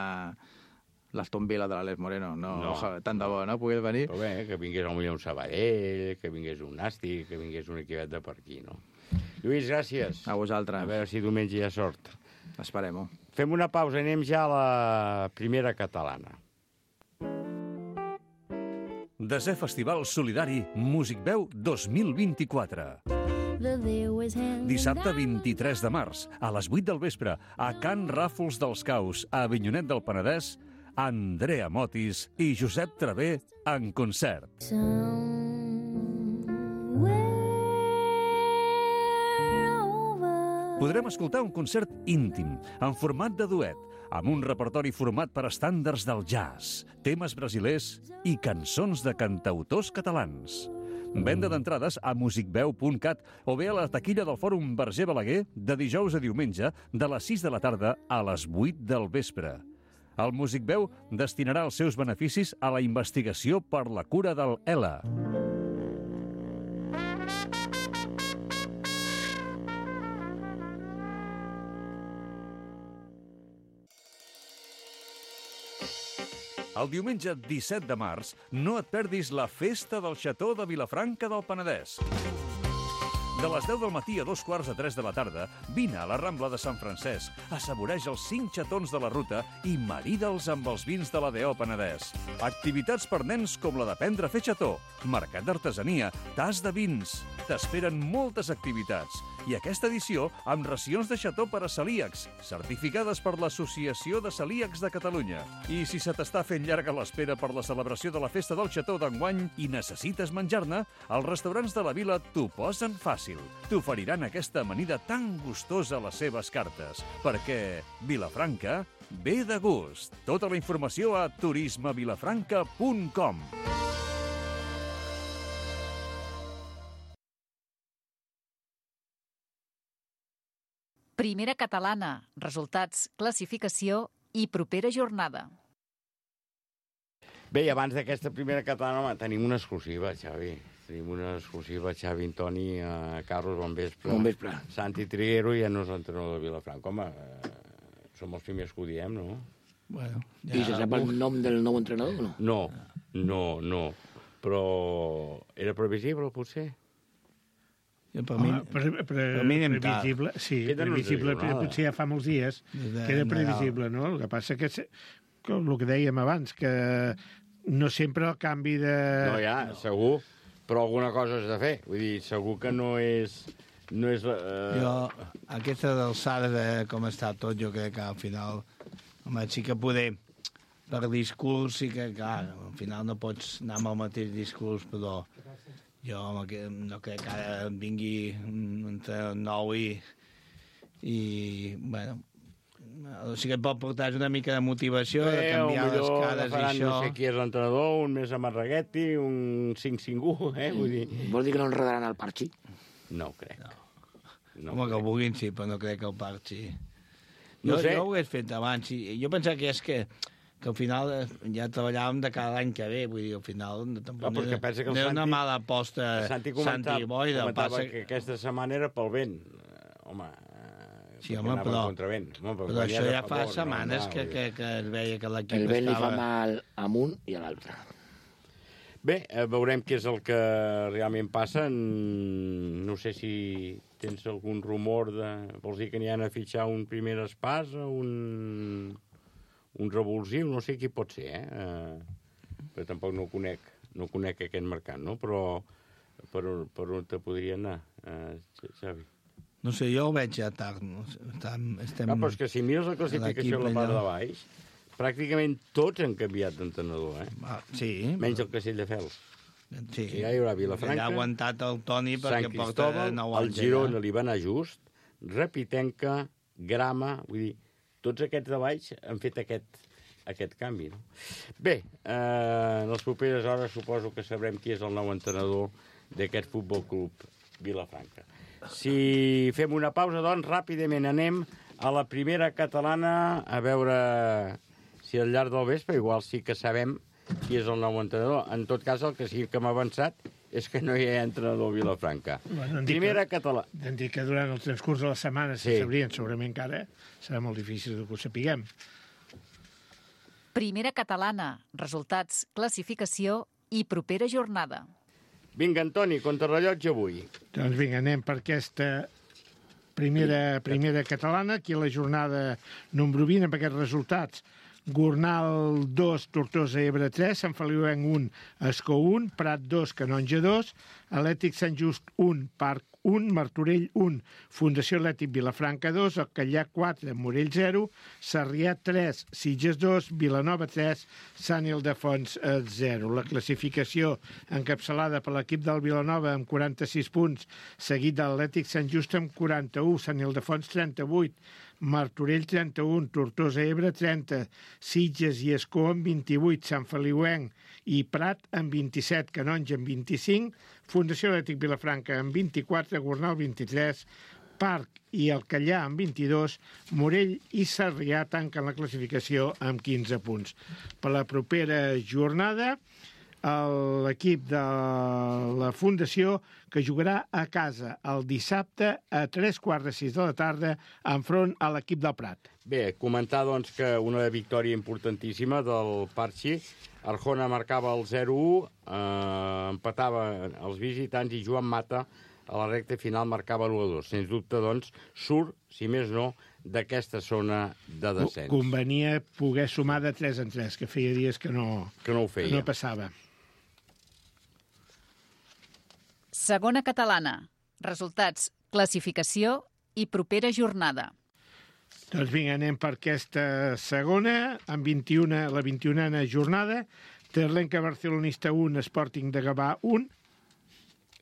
l'Aston Villa de l'Àlex Moreno, no. Tant de bo, no? Pogués venir. Però bé, que vingués potser un Sabadell, que vingués un Nàstic, que vingués un equipet de per aquí, no? Lluís, gràcies. A vosaltres. A veure si diumenge hi ha sort. Esperem-ho. Fem una pausa, anem ja a la primera catalana. Desè Festival Solidari Musicveu 2024. Dissabte 23 de març, a les 8 del vespre, a Can Ràfols dels Caus, a Avinyonet del Penedès, Andrea Motis i Josep Travé en concert. Podrem escoltar un concert íntim, en format de duet, amb un repertori format per estàndards del jazz, temes brasilers i cançons de cantautors catalans. Venda d'entrades a musicveu.cat o bé a la taquilla del Fòrum Verger Balaguer de dijous a diumenge de les 6 de la tarda a les 8 del vespre. El Musicveu destinarà els seus beneficis a la investigació per la cura del ELA. El diumenge 17 de març no et perdis la Festa del Xató de Vilafranca del Penedès. De les 10 del matí a 2:15 de la tarda, vine a la Rambla de Sant Francesc, assaboreix els 5 xatons de la ruta i marida'ls amb els vins de la D.O. Penedès. Activitats per nens com la d'aprendre a fer xató, mercat d'artesania, tas de vins. T'esperen moltes activitats i aquesta edició amb racions de xató per a celíacs, certificades per l'Associació de Celíacs de Catalunya. I si se t'està fent llarga l'espera per la celebració de la festa del xató d'enguany i necessites menjar-ne, els restaurants de la vila t'ho posen fàcil. T'oferiran aquesta amanida tan gustosa a les seves cartes, perquè Vilafranca ve de gust. Tota la informació a turismevilafranca.com. Primera catalana, resultats, classificació i propera jornada. Bé, i abans d'aquesta primera catalana tenim una exclusiva, Xavi. Tenim una exclusiva, Xavi Antoni, Carlos, bon vespre. Bon vespre. Santi Triguero ja no és entrenador de Vilafranca. Home, som els primers que ho diem, no? Bueno, ja... I se sap el nom del nou entrenador o no? No. Però era previsible, potser? Per mi anem previsible, sí, previsible, potser ja fa molts dies que era previsible, no? El que passa que el que dèiem abans, que no sempre el canvi de... No, ja, segur, però alguna cosa has de fer. Vull dir, segur que no és... Jo, aquesta alçada de com està tot, jo crec que al final... Home, sí que poder, per discurs, sí que, clar, al final no pots anar amb el mateix discurs, però jo no crec que ara vingui entre nou i bueno, sí que et pot portar una mica de motivació, de canviar les cares i això. No sé qui és l'entrenador, un més Amarraguetti, un 5-5-1, vull dir... Vols dir que no enredaran el Parchi? No ho crec. No, home, que ho vulguin, sí, però no crec que el Parchi... Jo ho hagués fet abans. Jo pensava que és que al final ja treballàvem de cada any que ve, vull dir, al final tampoc no era una mala aposta Santi Boida. Comentava que aquesta setmana era pel vent. Home, sí, home, però això ja fa setmanes que es veia que l'equip estava... El vent li fa mal a un i a l'altre. Bé, veurem què és el que realment passa. No sé si tens algun rumor de... Vols dir que n'hi ha a fitxar un primer espasa, un revulsiu, no sé qui pot ser, però tampoc no conec aquest mercat, no? Però per on te podria anar, Xavi? No sé, jo ho veig ja tard. Però és que si mires la classificació a la part de baix, pràcticament tots han canviat d'entrenador, Sí. Menys el Castelldefels. Sí. Ja hi haurà Vilafranca, ha aguantat el Toni perquè porta 9 anys. El Girona li va anar just, Repitenca, Grama, vull dir, tots aquests de baix han fet aquest canvi, no? Bé, en les properes hores suposo que sabrem qui és el nou entrenador d'aquest Futbol Club Vilafranca. Si fem una pausa, doncs, ràpidament anem a la primera catalana a veure si al llarg del vespre igual sí que sabem qui és el nou entrenador. En tot cas, el que sí que m'ha avançat és que no hi ha entrenador a Vilafranca. Bueno, primera catalana. Hem dit que durant el transcurs de la setmana se sabrien, segurament que ara serà molt difícil que ho sapiguem. Primera catalana, resultats, classificació i propera jornada. Vinga, Antoni, contrarrellotge avui. Doncs vinga, anem per aquesta primera catalana, aquí a la jornada número 20, amb aquests resultats. Gornal 2, Tortosa Ebre 3, Sant Feliuenc 1, Escó 1, Prat 2, Canonja 2, Atlètic Sant Just 1, Parc 1, Martorell 1, Fundació Atlètic Vilafranca 2, Alcallà 4, Morell 0, Sarrià 3, Sitges 2, Vilanova 3, Sant Ildefons 0. La classificació encapçalada per l'equip del Vilanova amb 46 punts, seguit de l'Atlètic Sant Just amb 41, Sant Ildefons 38, Martorell 31, Tortosa Ebre 30, Sitges i Escó amb 28, Sant Feliuenc i Prat amb 27, Canonja amb 25, Fundació Atlètic Vilafranca amb 24, Gornal 23, Parc i Alcallà amb 22, Morell i Sarrià tanquen la classificació amb 15 punts. Per la propera jornada, l'equip de la Fundació que jugarà a casa el dissabte a 3:15 de la tarda enfront a l'equip del Prat. Bé, comentar doncs que una victòria importantíssima del Parchi. Arjona marcava el 0-1, empatava els visitants i Joan Mata a la recta final marcava l'1-2. Sens dubte, doncs, surt, si més no, d'aquesta zona de descens. Convenia poder sumar de 3 en 3, que feia dies que no ho feia. Que no passava. Segona catalana. Resultats, classificació i propera jornada. Doncs vinga, anem per aquesta segona, amb la 21a jornada. Terlenca Barcelonista 1, Sporting de Gavà 1,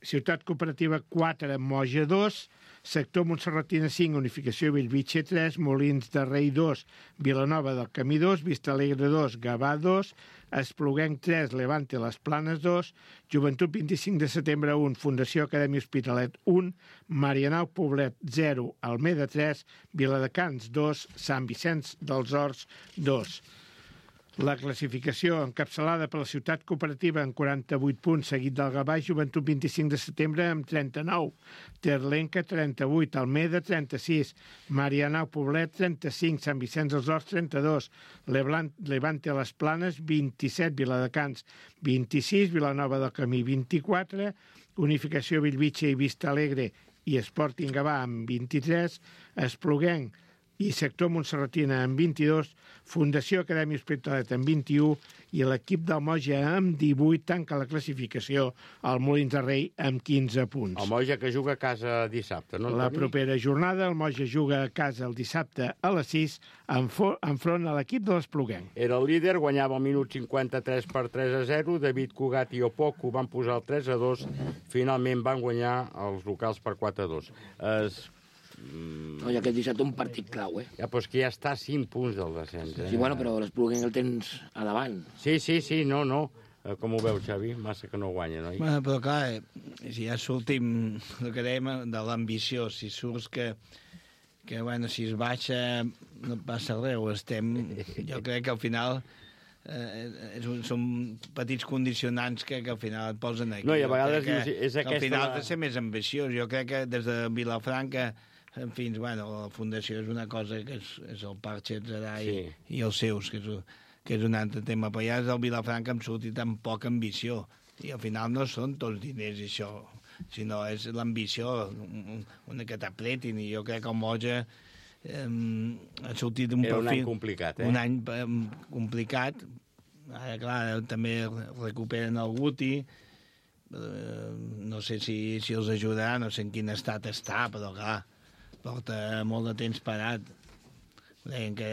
Ciutat Cooperativa 4, Moja 2, Sector Montserratina 5, Unificació Bellvitge 3, Molins de Rei 2, Vilanova del Camí 2, Vista Alegre 2, Gavà 2, Espluguenc 3, Levante Les Planes 2, Joventut 25 de setembre 1, Fundació Acadèmia Hospitalet 1, Marianao Poblet 0, Almeda 3, Viladecans 2, Sant Vicenç dels Horts 2. La classificació encapçalada per la Ciutat Cooperativa amb 48 punts, seguit del Gavà, Joventut 25 de setembre amb 39, Terlenca 38, Almeda 36, Marianao Poblet 35, Sant Vicenç dels Horts 32, Levante Les Planes 27, Viladecans 26, Vilanova del Camí 24, Unificació Bellvitge i Vista Alegre i Sporting Gavà amb 23, Espluguenc i Sector Montserratina amb 22, Fundació Acadèmia Hospitalet amb 21 i l'equip del Moja amb 18 tanca la classificació al Molins de Rei amb 15 punts. El Moja que juga a casa dissabte, no? La propera jornada el Moja juga a casa el dissabte a les 6 enfront a l'equip de l'Espluguenc. Era el líder, guanyava al minut 53 per 3-0, David Cugat i Opoku van posar el 3-2, finalment van guanyar els locals per 4-2. No, i aquest dissabte un partit clau, eh? Ja, però és que ja està a 5 punts del descens, eh? Sí, bueno, però l'Espluguenc el tens a davant. Sí, no. Com ho veu, Xavi? Massa que no guanya, no? Bueno, però clar, si ja sortim el que dèiem de l'ambició, si surts que bueno, si es baixa no passa res, jo crec que al final són petits condicionants que al final et posen aquí. No, i a vegades és aquesta... Al final has de ser més ambiciós. Jo crec que des de Vilafranca fins, bueno, la Fundació és una cosa que és el Parc Xetzerà i els seus, que és un altre tema. Però ja des del Vilafranca em sortit amb poca ambició. I al final no són tots diners, això, sinó és l'ambició, una que t'apretin. I jo crec que el Moja ha sortit un perfil... Era un any complicat, Un any complicat. Ara, clar, també recuperen el Guti. No sé si els ajudarà, no sé en quin estat està, però clar, porta molt de temps parat. Deien que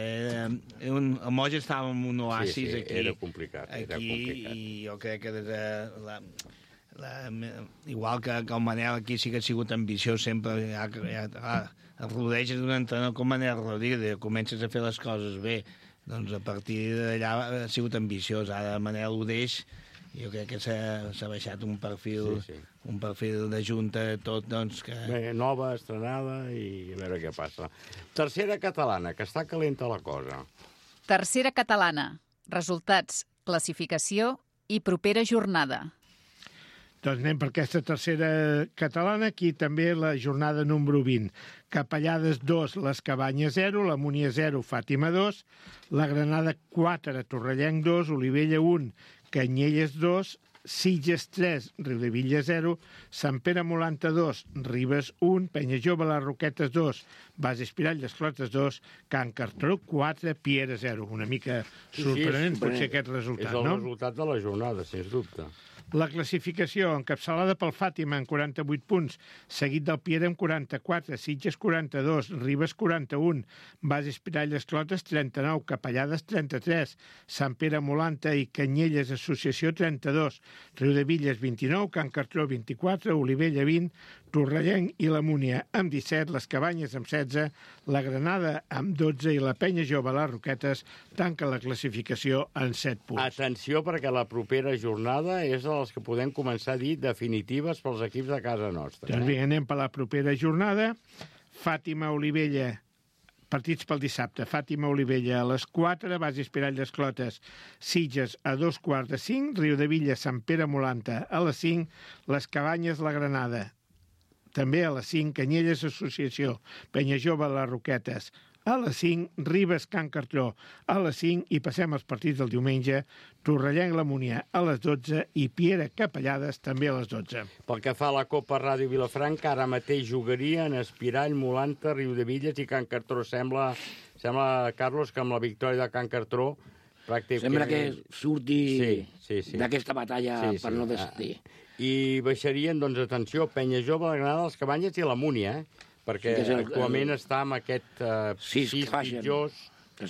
el Moja estava en un oasis aquí. Era complicat. I jo crec que des de igual que el Manel aquí sí que ha sigut ambiciós sempre, el rodeges d'un entrenador com Manel Rodríguez, comences a fer les coses bé, doncs a partir d'allà ha sigut ambiciós. Ara Manel ho deix, jo crec que s'ha baixat un perfil un perfil de junta tot, doncs que... Bé, nova, estrenada, i a veure què passa. Tercera catalana, que està calenta la cosa. Tercera catalana. Resultats, classificació i propera jornada. Doncs anem per aquesta tercera catalana, aquí també la jornada número 20. Capellades 2, les Cabanyes 0, la Múnia 0, Fàtima 2, la Granada 4, Torrellenc 2, Olivella 1, Canyelles 2, Sitges 3, Riudevilla 0, Sant Pere Molanta 2, Ribes 1, Penya Jove, les Roquetes 2, Bas Espirall, les Clotes 2, Can Cartró 4, Piera 0. Una mica sorprenent potser aquest resultat, no? És el resultat de la jornada, sens dubte. La classificació encapçalada pel Fàtima amb 48 punts, seguit del Piera amb 44, Sitges 42, Ribes 41, Bas Espirall Esclotes 39, Capellades 33, Sant Pere Molanta i Canyelles Associació 32, Riudevilles 29, Can Cartró 24, Olivella 20, Torrellenc i la Múnia amb 17, les Cabanyes amb 16, la Granada amb 12 i la Penya Jove, les Roquetes, tanca la classificació en 7 punts. Atenció, perquè la propera jornada és de les que podem començar a dir definitives pels equips de casa nostra. Doncs bé, anem per la propera jornada. Fàtima-Olivella, partits pel dissabte. Fàtima-Olivella a les 4, Bas Espirall d'Esclotes, Sitges a 2:45, Riudevilla, Sant Pere Molanta a les 5, les Cabanyes, la Granada també a les 5, Canyelles Associació, Penya Jove, les Roquetes a les 5, Ribes, Can Cartró a les 5 i passem als partits del diumenge, Torrellenc, la Múnia a les 12 i Piera Capellades també a les 12. Pel que fa a la Copa Ràdio Vilafranca, ara mateix jugarien Espirall, Molanta, Riudevilles i Can Cartró. Sembla, Carlos, que amb la victòria de Can Cartró pràcticament... Sembla que surti sí. d'aquesta batalla per no desistir. I baixarien, doncs, atenció, Penya Jove, la Granada, els Cabanyes i la Múnia, perquè actualment està amb aquest 6 pitjors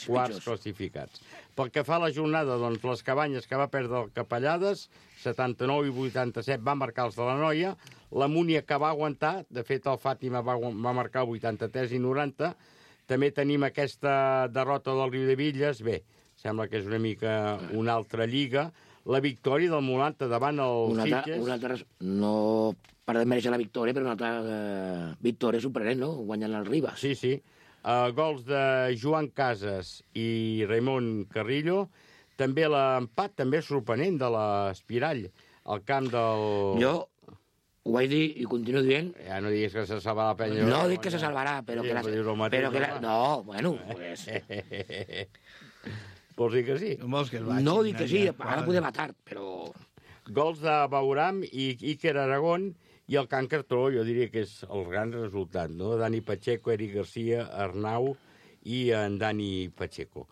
quarts classificats. Pel que fa a la jornada, doncs, les Cabanyes, que va perdre el Capellades, 79 i 87 van marcar els de la Noia, la Múnia, que va aguantar, de fet el Fàtima va marcar 83 i 90, també tenim aquesta derrota del Riudevilles, bé, sembla que és una mica una altra lliga, la victòria del Molanta davant el Sitges... Una altra, no per desmereixer la victòria, però una altra victòria sorprenent, no? Guanyant el Ribas. Sí. Gols de Joan Casas i Raimon Carrillo, també l'empat també sorprenent de l'Espirall, al camp del... Jo ho vaig dir i continuo dient... Ja no diguis que se salvarà la Penya. No dic que se salvarà, però que... No, bueno, pues... Vols dir que sí? No dic que sí, ara podem matar, però... Gols de Bauram i Iker Aragón i el Can Cartró, jo diria que és el gran resultat, no? Dani Pacheco, Eric Garcia, Arnau i en Dani Pacheco.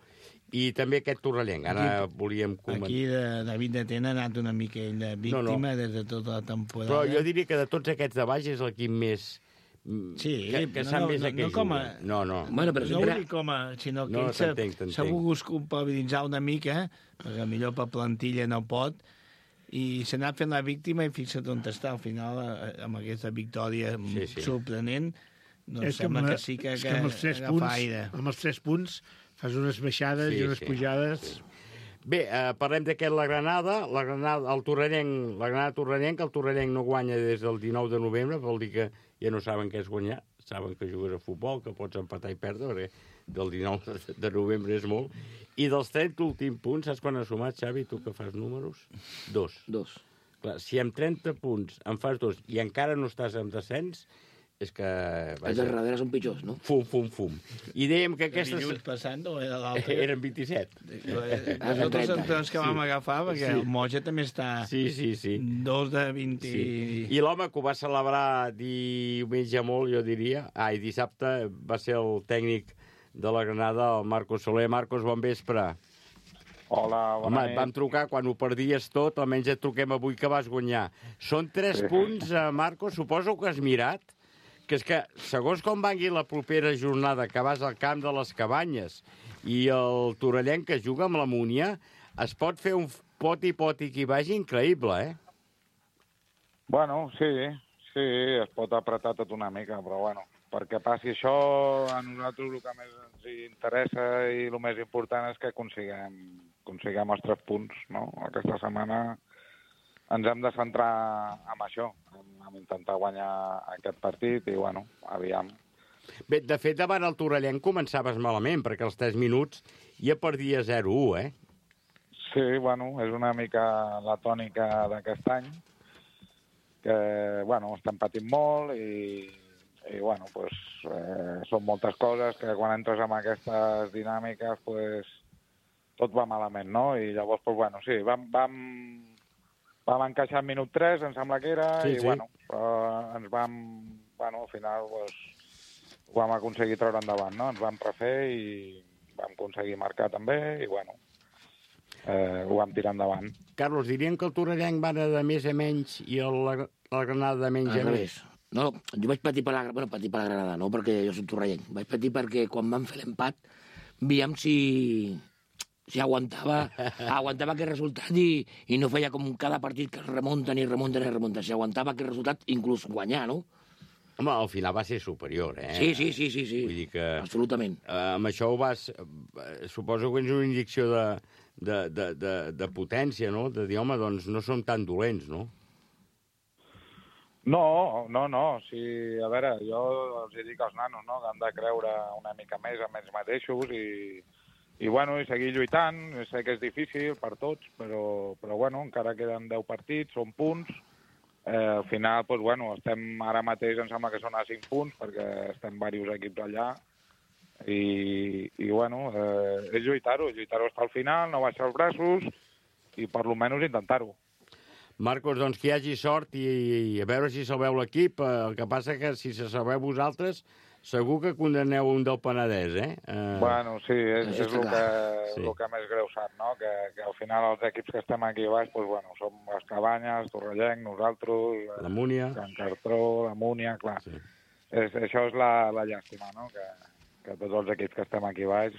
I també aquest torrellenc, ara volíem comentar. Aquí David de Tena ha anat una mica ell víctima des de tota la temporada. Però jo diria que de tots aquests de baix és l'equip més... Sí, que sap més a què juga. No. Bueno, però no ho dic com a... Sinó que ell s'ha volgut culpabilitzar una mica, perquè millor per plantilla no pot, i s'ha anat fent la víctima i fixa't on està. Al final, amb aquesta victòria sorprenent, doncs sembla que sí que agafa aire. Amb els 3 punts fas unes baixades i unes pujades... Sí. Bé, parlem d'aquest la Granada, el Torrellenc, la Granada Torrellenc, que el Torrellenc no guanya des del 19 de novembre, vol dir que ja no saben què és guanyar, saben que jugues a futbol, que pots empatar i perdre, perquè del 19 de novembre és molt. I dels 30 últims punts, saps quan has sumat, Xavi, tu que fas números? 2. Clar, si amb 30 punts en fas 2 i encara no estàs en descens, és que... Els de darrere són pitjors, no? Fum. I dèiem que aquestes... Dilluns passant o era l'altre? Eren 27. Nosaltres els entrons que vam agafar, perquè el Moja també està... Sí. 2 de 20... Sí. I l'home que ho va celebrar diumenge molt, jo diria, i dissabte va ser el tècnic de la Granada, el Marcos Soler. Marcos, bon vespre. Hola, bona nit. Et vam trucar quan ho perdies tot, almenys et truquem avui que vas guanyar. Són 3 punts, Marcos, suposo que has mirat, que és que, segons com vangui la propera jornada, que vas al camp de les Cabanyes i el Torrellenc que juga amb la Múnia, es pot fer un poti-poti que hi vagi increïble, Bueno, sí, es pot apretar tot una mica, però bueno, perquè passi això, a nosaltres el que més ens interessa i el més important és que aconseguim els 3 punts, no? Aquesta setmana ens hem de centrar en això, en intentar guanyar aquest partit i, bueno, aviam. Bé, de fet, davant el Torrellenc començaves malament, perquè als 3 minuts ja perdia 0-1, Sí, bueno, és una mica la tònica d'aquest any, que, bueno, estem patint molt i bueno, pues, són moltes coses que quan entres en aquestes dinàmiques, pues, tot va malament, no? I llavors, pues, bueno, sí, vam encaixar al minut 3, em sembla que era, bueno, ens vam, bueno, al final, pues, ho vam aconseguir treure endavant, no? Ens vam refer i vam aconseguir marcar també i, bueno, ho vam tirar endavant. Carlos, dirien que el Torrellenc va de més a menys i la Granada de menys a més. No, jo vaig patir per la Granada, no perquè jo soc torrellenc. Vaig patir perquè quan vam fer l'empat, veiem si aguantava aquest resultat i no feia com cada partit que es remunta. Si aguantava aquest resultat, inclús guanyar, no? Home, al final va ser superior, Sí. Vull dir que... Absolutament. Amb això ho vas... Suposo que és una injecció de potència, no? De dir, home, doncs no som tan dolents, no? No. Sí, a veure, jo els dic als nanos, no?, que han de creure una mica més en ells mateixos i bueno, i seguir lluitant. Sé que és difícil per tots, però bueno, encara queden 10 partits, són punts. Al final, doncs, bueno, estem ara mateix, em sembla que són a 5 punts, perquè estem diversos equips allà. I bueno, és lluitar-ho fins al final, no baixar els braços i per lo menys intentar-ho. Marcos, doncs que hi hagi sort i a veure si salveu l'equip. El que passa que si se salveu vosaltres, segur que condemneu un del Penedès, Bueno, sí, és el que més greu sap, no? Que al final els equips que estem aquí baix, doncs, bueno, som les Cabanyes, Torrellenc, nosaltres, la Múnia, Can Cartró, la Múnia, clar. Sí. Això és la llàstima, no? Que tots els equips que estem aquí baix,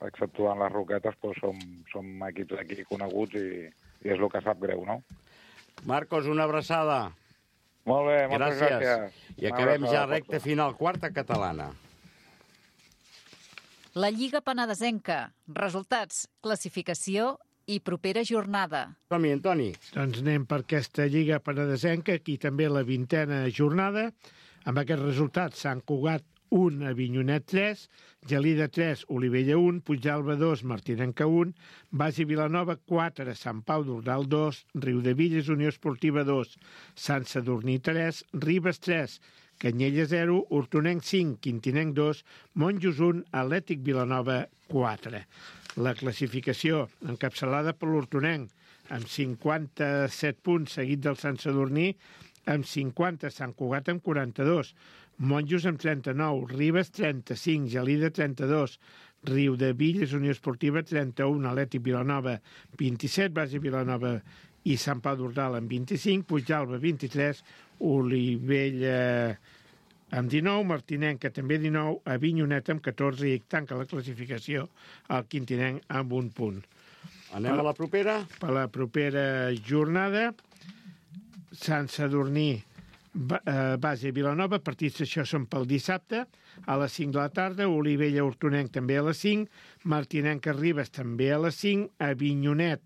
exceptuant les Roquetes, doncs som equips aquí coneguts i és el que sap greu, no? Marcos, una abraçada. Molt bé, moltes gràcies. I acabem ja recta final, quarta catalana. La Lliga Penedesenca. Resultats, classificació i propera jornada. Som-hi, Antoni. Doncs anem per aquesta Lliga Penedesenca, aquí també la 20a jornada. Amb aquests resultats, Sant Cugat 1, Avinyonet 3, Gelida 3, Olivella 1, Puigdàlber 2, Martinenca 1, Basi Vilanova 4, Sant Pau d'Ordal 2, Riudevilles, Unió Esportiva 2, Sant Sadurní 3, Ribes 3, Canyella 0, Hortonenc 5, Quintinenc 2, Monjos 1, Atlètic Vilanova 4. La classificació encapçalada per l'Hortonenc, amb 57 punts, seguit del Sant Sadurní, amb 50, Sant Cugat amb 42, Monjos amb 39, Ribes 35, Gelida 32, Riudevilles, Unió Esportiva 31, Atlètic Vilanova 27, Basi Vilanova i Sant Pau d'Ordal amb 25, Puigdàlber 23, Olivella amb 19, Martinenca també 19, Avinyonet amb 14 i tanca la classificació el Quintinenc amb un punt. Anem a la propera? Per la propera jornada, Sant Sadurní, Basi Vilanova, partits d'això són pel dissabte, a les 5 de la tarda, Olivella Hortonenc també a les 5, Martinenca Ribes també a les 5, Avinyonet,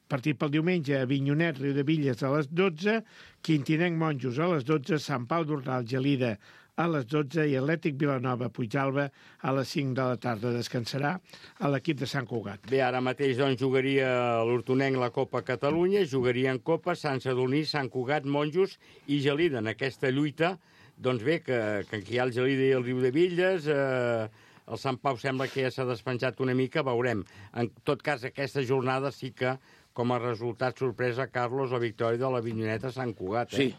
partit pel diumenge, Avinyonet, Riudevilles a les 12, Quintinenc Monjos a les 12, Sant Pau d'Ordal, Gelida a les 12 i Atlètic Vilanova, Puigdàlber a les 5 de la tarda. Descansarà a l'equip de Sant Cugat. Bé, ara mateix doncs, jugaria l'Hortonenc la Copa Catalunya, jugaria en Copa Sant Sadurní, Sant Cugat, Monjos i Gelida. En aquesta lluita, doncs bé, que aquí hi ha el Gelida i el Riudevilles, el Sant Pau sembla que ja s'ha despenjat una mica, veurem. En tot cas, aquesta jornada sí que, com a resultat sorpresa, Carlos, la victòria de la Vinyoneta a Sant Cugat. Sí,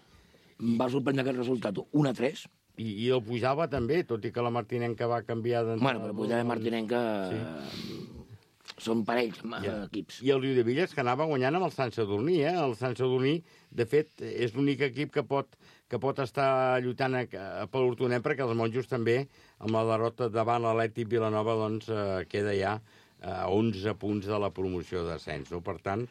em va sorprendre aquest resultat, 1-3. I el Puigdàlber també, tot i que la Martinenca va canviar d'entrenador. Bueno, però Puigdàlber i Martinenca són parells, equips. I el Riudevilles, que anava guanyant amb el Sant Sadurní, El Sant Sadurní, de fet, és l'únic equip que pot estar lluitant per l'Hortonenc, perquè els Monjos també, amb la derrota davant l'Atlètic Vilanova, doncs queda ja a 11 punts de la promoció d'ascens. No? Per tant,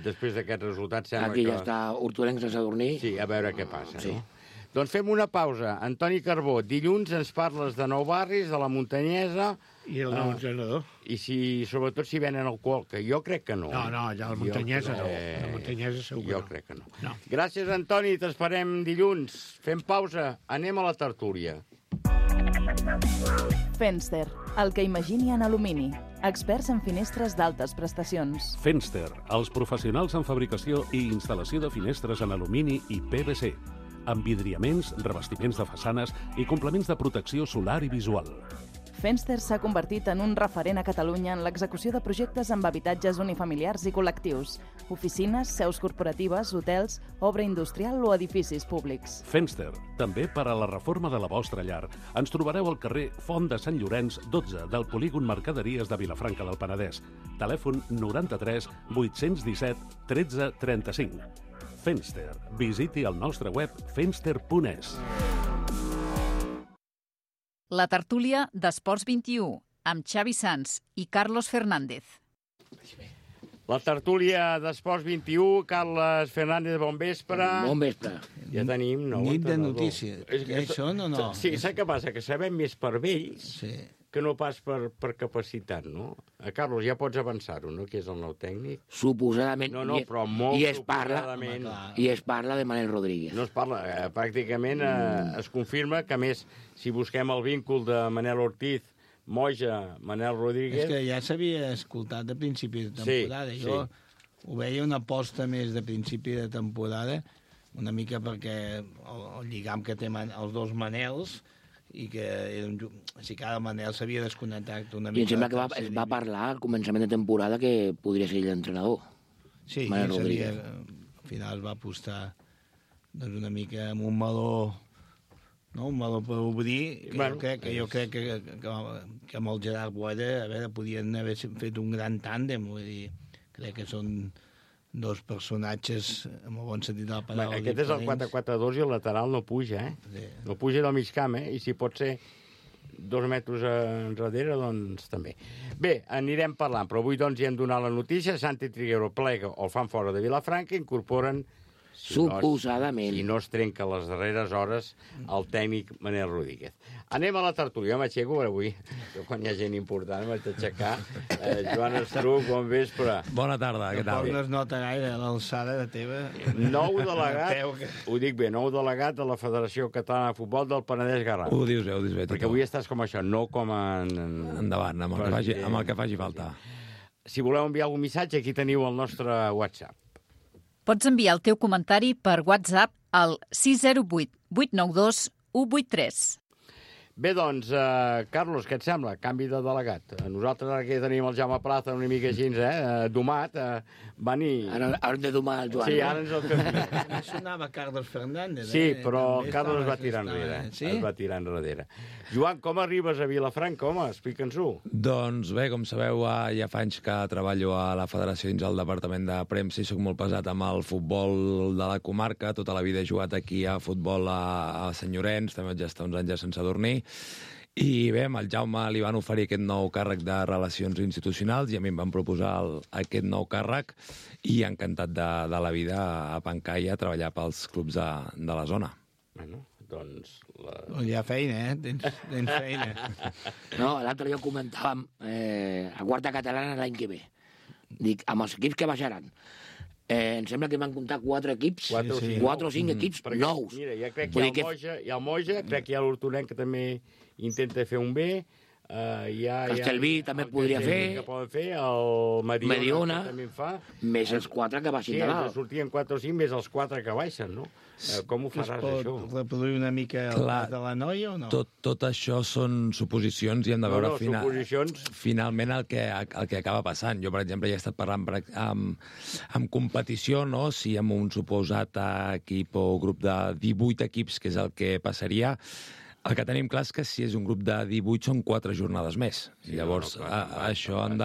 després d'aquest resultat sembla que... Aquí ja està Hortonenc, Sant Sadurní. Sí, a veure què passa, sí. No? Doncs fem una pausa. Antoni Carbó, dilluns ens parles de Nou Barris, de la Muntanyesa... I el nou entrenador. I sobretot si venen alcohol, que jo crec que no. No, allà la Muntanyesa no. La Muntanyesa segur que no. Jo crec que no. Gràcies, Antoni, t'esperem dilluns. Fem pausa, anem a la tertúlia. Fenster, el que imagini en alumini. Experts en finestres d'altes prestacions. Fenster, els professionals en fabricació i instal·lació de finestres en alumini i PVC. Amb vidriaments, revestiments de façanes i complements de protecció solar i visual. Fenster s'ha convertit en un referent a Catalunya en l'execució de projectes amb habitatges unifamiliars i col·lectius, oficines, seus corporatives, hotels, obra industrial o edificis públics. Fenster, també per a la reforma de la vostra llar. Ens trobareu al carrer Font de Sant Llorenç, 12, del polígon Mercaderies de Vilafranca del Penedès. Telèfon 93 817 13 35. Fenster. Visiti el nostre web fenster.es. La tertúlia d'Esports 21, amb Xavi Sans i Carlos Fernández. La tertúlia d'Esports 21, Carles Fernández, bon vespre. Bon vespre. Ja tenim nou Nit de entrenador. notícies. Ja hi són o no? Sí, saps què passa? Que sabem més per vells que no pas per capacitat, no? Carlos, ja pots avançar-ho, no?, que és el nou tècnic. Suposadament. No, però molt suposadament. I es parla de Manel Rodríguez. No es parla, pràcticament es confirma que, a més, si busquem el víncul de Manel Ortiz, Moja, Manel Rodríguez... És que ja s'havia escoltat a principi de temporada. Jo ho veia una aposta més de principi de temporada, una mica perquè el lligam que té els dos Manels, i que si cada Manel s'havia desconnectat una mica... I em sembla que es va parlar al començament de temporada que podria ser l'entrenador. Sí, Manel Rodríguez. final es va apostar doncs, una mica amb un meló, no? Un meló per obrir, que jo crec que amb el Gerard Boira, a veure, podien haver fet un gran tàndem, vull dir, crec que són dos personatges, amb el bon sentit de la paraula, aquest és el 4-4-2 i el lateral no puja, Sí. No puja del mig camp, I si pot ser 2 metres enrere, doncs també. Bé, anirem parlant, però avui doncs hi hem donat la notícia, Santi Triguero plega o el fan fora de Vilafranca, incorporen suposadament. Si no es trenca les darreres hores el tècnic Manel Rodríguez. Anem a la tertúlia. M'aixeco avui. Quan hi ha gent important m'haig d'aixecar. Joan Estruc, bon vespre. Bona tarda, què tal? No es nota gaire l'alçada de teva. Nou delegat, ho dic bé, nou delegat de la Federació Catalana de Futbol del Penedès Garraf. Ho dius bé. Perquè avui estàs com això, no com endavant, amb el que faci falta. Si voleu enviar algun missatge, aquí teniu el nostre WhatsApp. Pots enviar el teu comentari per WhatsApp al 608 892 183. Bé, doncs, Carlos, què et sembla? Canvi de delegat. Nosaltres ara que tenim el Jaume Plaza una mica així, domat, van i... Ara hem de domar el Joan. Sí, ara ens el fem. No sonava Carlos Fernández. Sí, però Carlos es va tirar enrere. Sí? Es va tirar enrere. Joan, com arribes a Vilafranca, home? Explica'ns-ho. Doncs bé, com sabeu, ja fa anys que treballo a la Federació dins el Departament de Premsa i soc molt pesat amb el futbol de la comarca. Tota la vida he jugat aquí a futbol a Sant Llorenç, també vaig estar uns anys a Sant Sadurní. I bé, amb el Jaume li van oferir aquest nou càrrec de Relacions Institucionals i a mi em van proposar aquest nou càrrec i encantat de la vida a Pancai a treballar pels clubs de la zona. Bueno, doncs... Hi ha feina, Tens feina. No, l'altre dia comentàvem a quarta catalana l'any que ve. Dic, amb els equips que baixaran. Em sembla que van comptar 4 equips, 4 o 5 equips nous. Mira, ja crec que hi ha el Moja, crec que hi ha l'Hortonenc que també intenta fer un bé, Castellví també podria fer, el Mediona també en fa, més els 4 que baixin de dalt. Sí, sortien 4 o 5 més els 4 que baixen, no? Com ho faràs, això? Es pot reproduir una mica de la noia o no? Tot això són suposicions i hem de veure finalment el que acaba passant. Jo, per exemple, ja he estat parlant amb competició, no? Si amb un suposat equip o grup de 18 equips, que és el que passaria. El que tenim clar és que si és un grup de 18 són 4 jornades més. Llavors, això han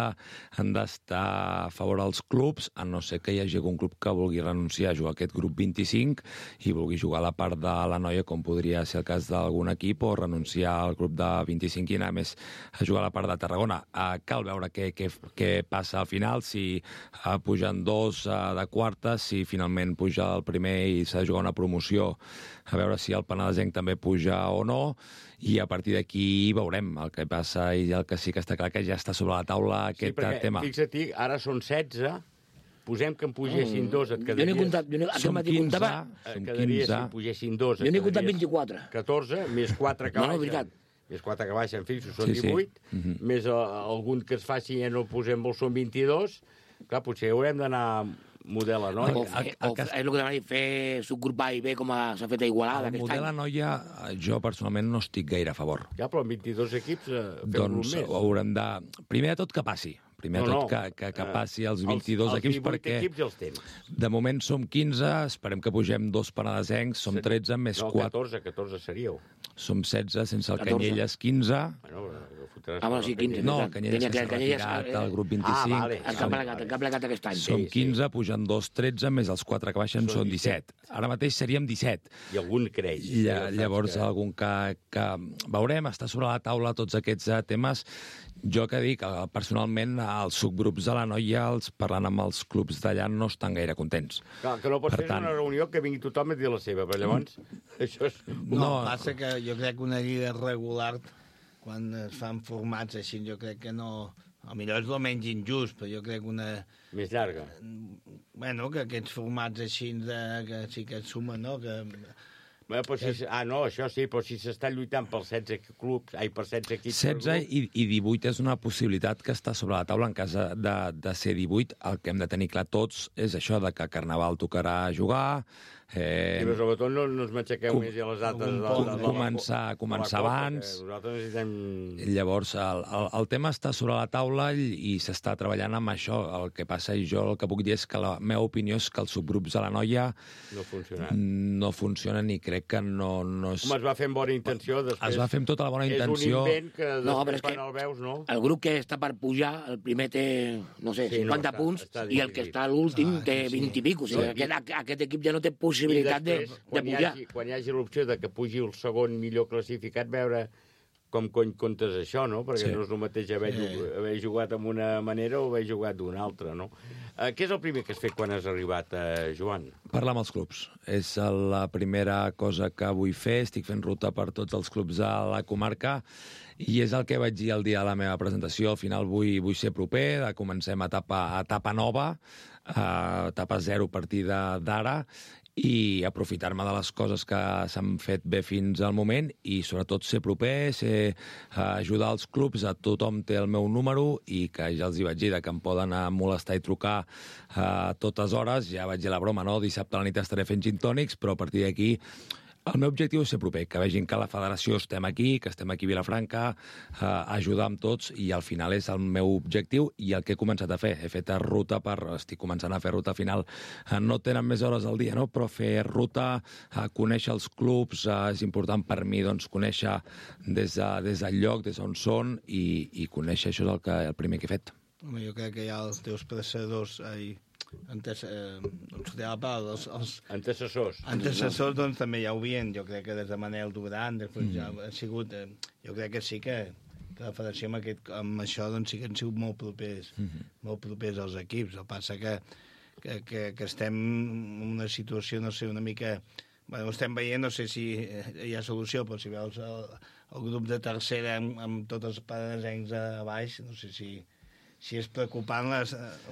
d'estar a favor dels clubs, a no ser que hi hagi algun club que vulgui renunciar a jugar aquest grup 25 i vulgui jugar a la part de la noia, com podria ser el cas d'algun equip, o renunciar al grup de 25 i anar més a jugar a la part de Tarragona. Cal veure què passa al final, si pugen 2 de quarta, si finalment puja el primer i s'ha de jugar una promoció, a veure si el penedesenc també puja o no, i a partir d'aquí veurem el que passa, i el que sí que està clar que ja està sobre la taula aquest tema. Fixa't, ara són 16, posem que en pugessin 2, et quedaries... Som 15, si pugessin 2, jo n'he comptat 24. 14, més 4 que baixen. Més 4 que baixen, fixos, són 18, més algun que es faci en el posem són 22, clar, potser haurem d'anar model a noia. És el que demana fer subgrup A i B com s'ha fet a Igualada aquest any. El model a noia, jo personalment no estic gaire a favor. Ja, però amb 22 equips fem doncs més. Haurem de... Primer de tot que passi. Primer de tot que passi els 22 equips, perquè equips els tens. De moment som 15, esperem que pugem 2 penedesencs, som 13 més 4. No, 14 seríeu. Som 16, sense el Canyelles 15. Sí, 15. No, el Canyelles que s'ha retirat al grup 25. El que ha plegat aquest any. Som 15, pugen 2, 13, més els 4 que baixen són 17. Ara mateix seríem 17. I algun creix. Llavors, algun que veurem, està sobre la taula tots aquests temes. Jo que dic, personalment, els subgrups de la noia, parlant amb els clubs d'allà, no estan gaire contents. Clar, que no pot ser una reunió que vingui tothom a dir la seva, però llavors això és... No, passa que jo crec que una lliga regular, quan es fan formats així, jo crec que no... Potser és el menys injust, però jo crec que una... Més llarga. Bueno, que aquests formats així que sí que es sumen, no? Que... no, això sí, però si s'està lluitant pels 16 clubs, per 16 equips... 16 i 18 és una possibilitat que està sobre la taula en cas de ser 18. El que hem de tenir clar tots és això de que Carnaval tocarà jugar, I sobretot no ens matxaqueu més a les dates. Començar abans. Nosaltres necessitem... Llavors, el tema està sobre la taula i s'està treballant amb això. El que passa, i jo el que puc dir és que la meva opinió és que els subgrups de la noia no funcionen i crec que no és... Home, es va fer amb bona intenció, després... Es va fer amb tota la bona intenció. És un invent que després quan el veus, no? El grup que està per pujar, el primer té, no sé, 50 punts, i el que està a l'últim té 20 i pico. O sigui, aquest equip ja no té possibilitat de pujar. Quan hi hagi l'opció de que pugi el segon millor classificat, veure com cony comptes això, no? Perquè no és el mateix haver jugat amb una manera o haver jugat d'una altra, no? Què és el primer que has fet quan has arribat, Joan? Parlar amb els clubs. És la primera cosa que vull fer. Estic fent ruta per tots els clubs de la comarca i és el que vaig dir el dia de la meva presentació. Al final vull ser proper, comencem etapa nova, etapa 0 a partir d'ara, i aprofitar-me de les coses que s'han fet bé fins al moment i sobretot ser proper, ajudar els clubs, a tothom té el meu número i que ja els hi vaig dir que em poden molestar i trucar a totes hores. Ja vaig dir la broma, no? Dissabte a la nit estaré fent gin tònics, però a partir d'aquí el meu objectiu és ser proper, que vegin que la federació estem aquí, que estem aquí a Vilafranca, ajudar amb tots, i al final és el meu objectiu i el que he començat a fer. He fet ruta estic començant a fer ruta final. No tenen més hores al dia, no? Però fer ruta, conèixer els clubs, és important per mi, doncs, conèixer des del lloc, des d'on són, i conèixer, això és el primer que he fet. Jo crec que hi ha els teus predecessors antecessors, doncs també ja ho havien, jo crec que des de Manel Duran, després ja ha sigut, jo crec que sí que la federació amb això doncs sí que han sigut molt propers als equips. El que passa que estem en una situació, no sé, una mica... Bueno, ho estem veient, no sé si hi ha solució, però si veus el grup de tercera amb tots els panesencs a baix, no sé si és preocupant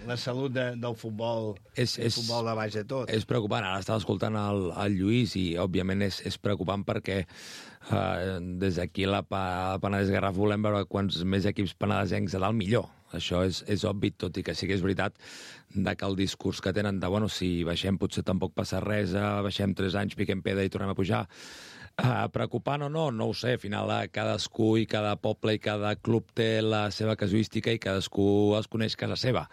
la salut del futbol, el futbol de baix de tot. És preocupant. Ara estava escoltant el Lluís i, òbviament, és preocupant perquè des d'aquí a la Penedès Garraf volem veure quants més equips penedesencs a dalt millor. Això és obvi, tot i que sí que és veritat que el discurs que tenen de, bueno, si baixem potser tampoc passa res, baixem 3 anys, piquem pedra i tornem a pujar. Preocupant o no ho sé. Al final cadascú i cada poble i cada club té la seva casuística i cadascú es coneix casa seva.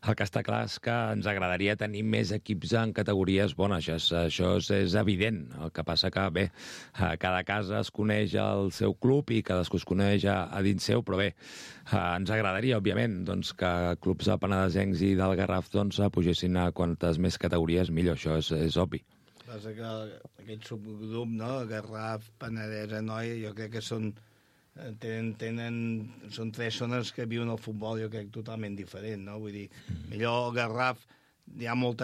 El que està clar és que ens agradaria tenir més equips en categories bones. Això és evident. El que passa que, bé, cada casa es coneix el seu club i cadascú es coneix a dins seu, però bé, ens agradaria, òbviament, doncs, que clubs penedesencs i del Garraf pugessin a quantes més categories millor. Això és obvi. Passa que aquest subgrup, no? Garraf, Penedès, Anoia, jo crec que són 3 zones que viuen el futbol, jo crec, totalment diferent, no? Vull dir, millor el Garraf, hi ha molts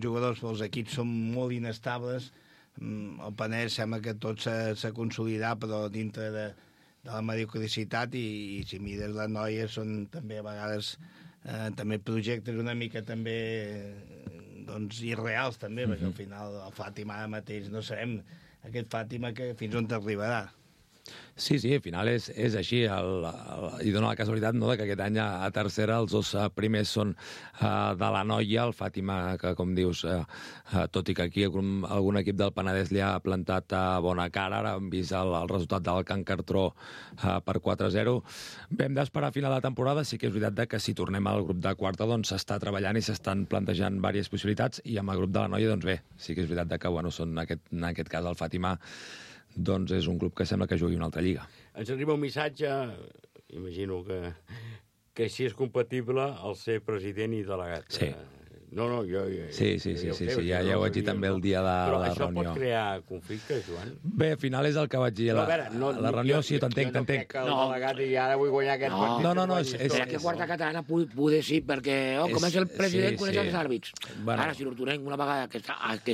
jugadors, però els equips són molt inestables. El Penedès sembla que tot s'ha consolidat, però dintre de la mediocricitat, i si mires l'Anoia són també a vegades també projectes una mica també doncs irreals també, perquè al final el Fàtima ara mateix no sabem aquest Fàtima que fins on t'arribarà. Sí, al final és així. I dona la casualitat, no?, que aquest any a tercera els 2 primers són de la Noia, el Fàtima, que com dius, tot i que aquí algun equip del Penedès li ha plantat bona cara, ara hem vist el resultat del Can Cartró per 4-0. Vam d'esperar a final de temporada. Sí que és veritat que si tornem al grup de quarta doncs s'està treballant i s'estan plantejant diverses possibilitats, i amb el grup de la Noia, doncs bé, sí que és veritat que són, en aquest cas, el Fàtima doncs és un club que sembla que jugui una altra lliga. Ens arriba un missatge, imagino que si és compatible el ser president i delegat. Sí. No, jo... Sí, ja ho vaig dir també el dia de la reunió. Però això pot crear conflicte, Joan? Bé, al final és el que vaig dir a la reunió, sí, t'entenc. Jo no crec que el delegat i ara vull guanyar aquest partit. No, és que quarta catalana poder sí, perquè comença el president, coneix els àrbits. Ara, si l'Hortonenc una vegada que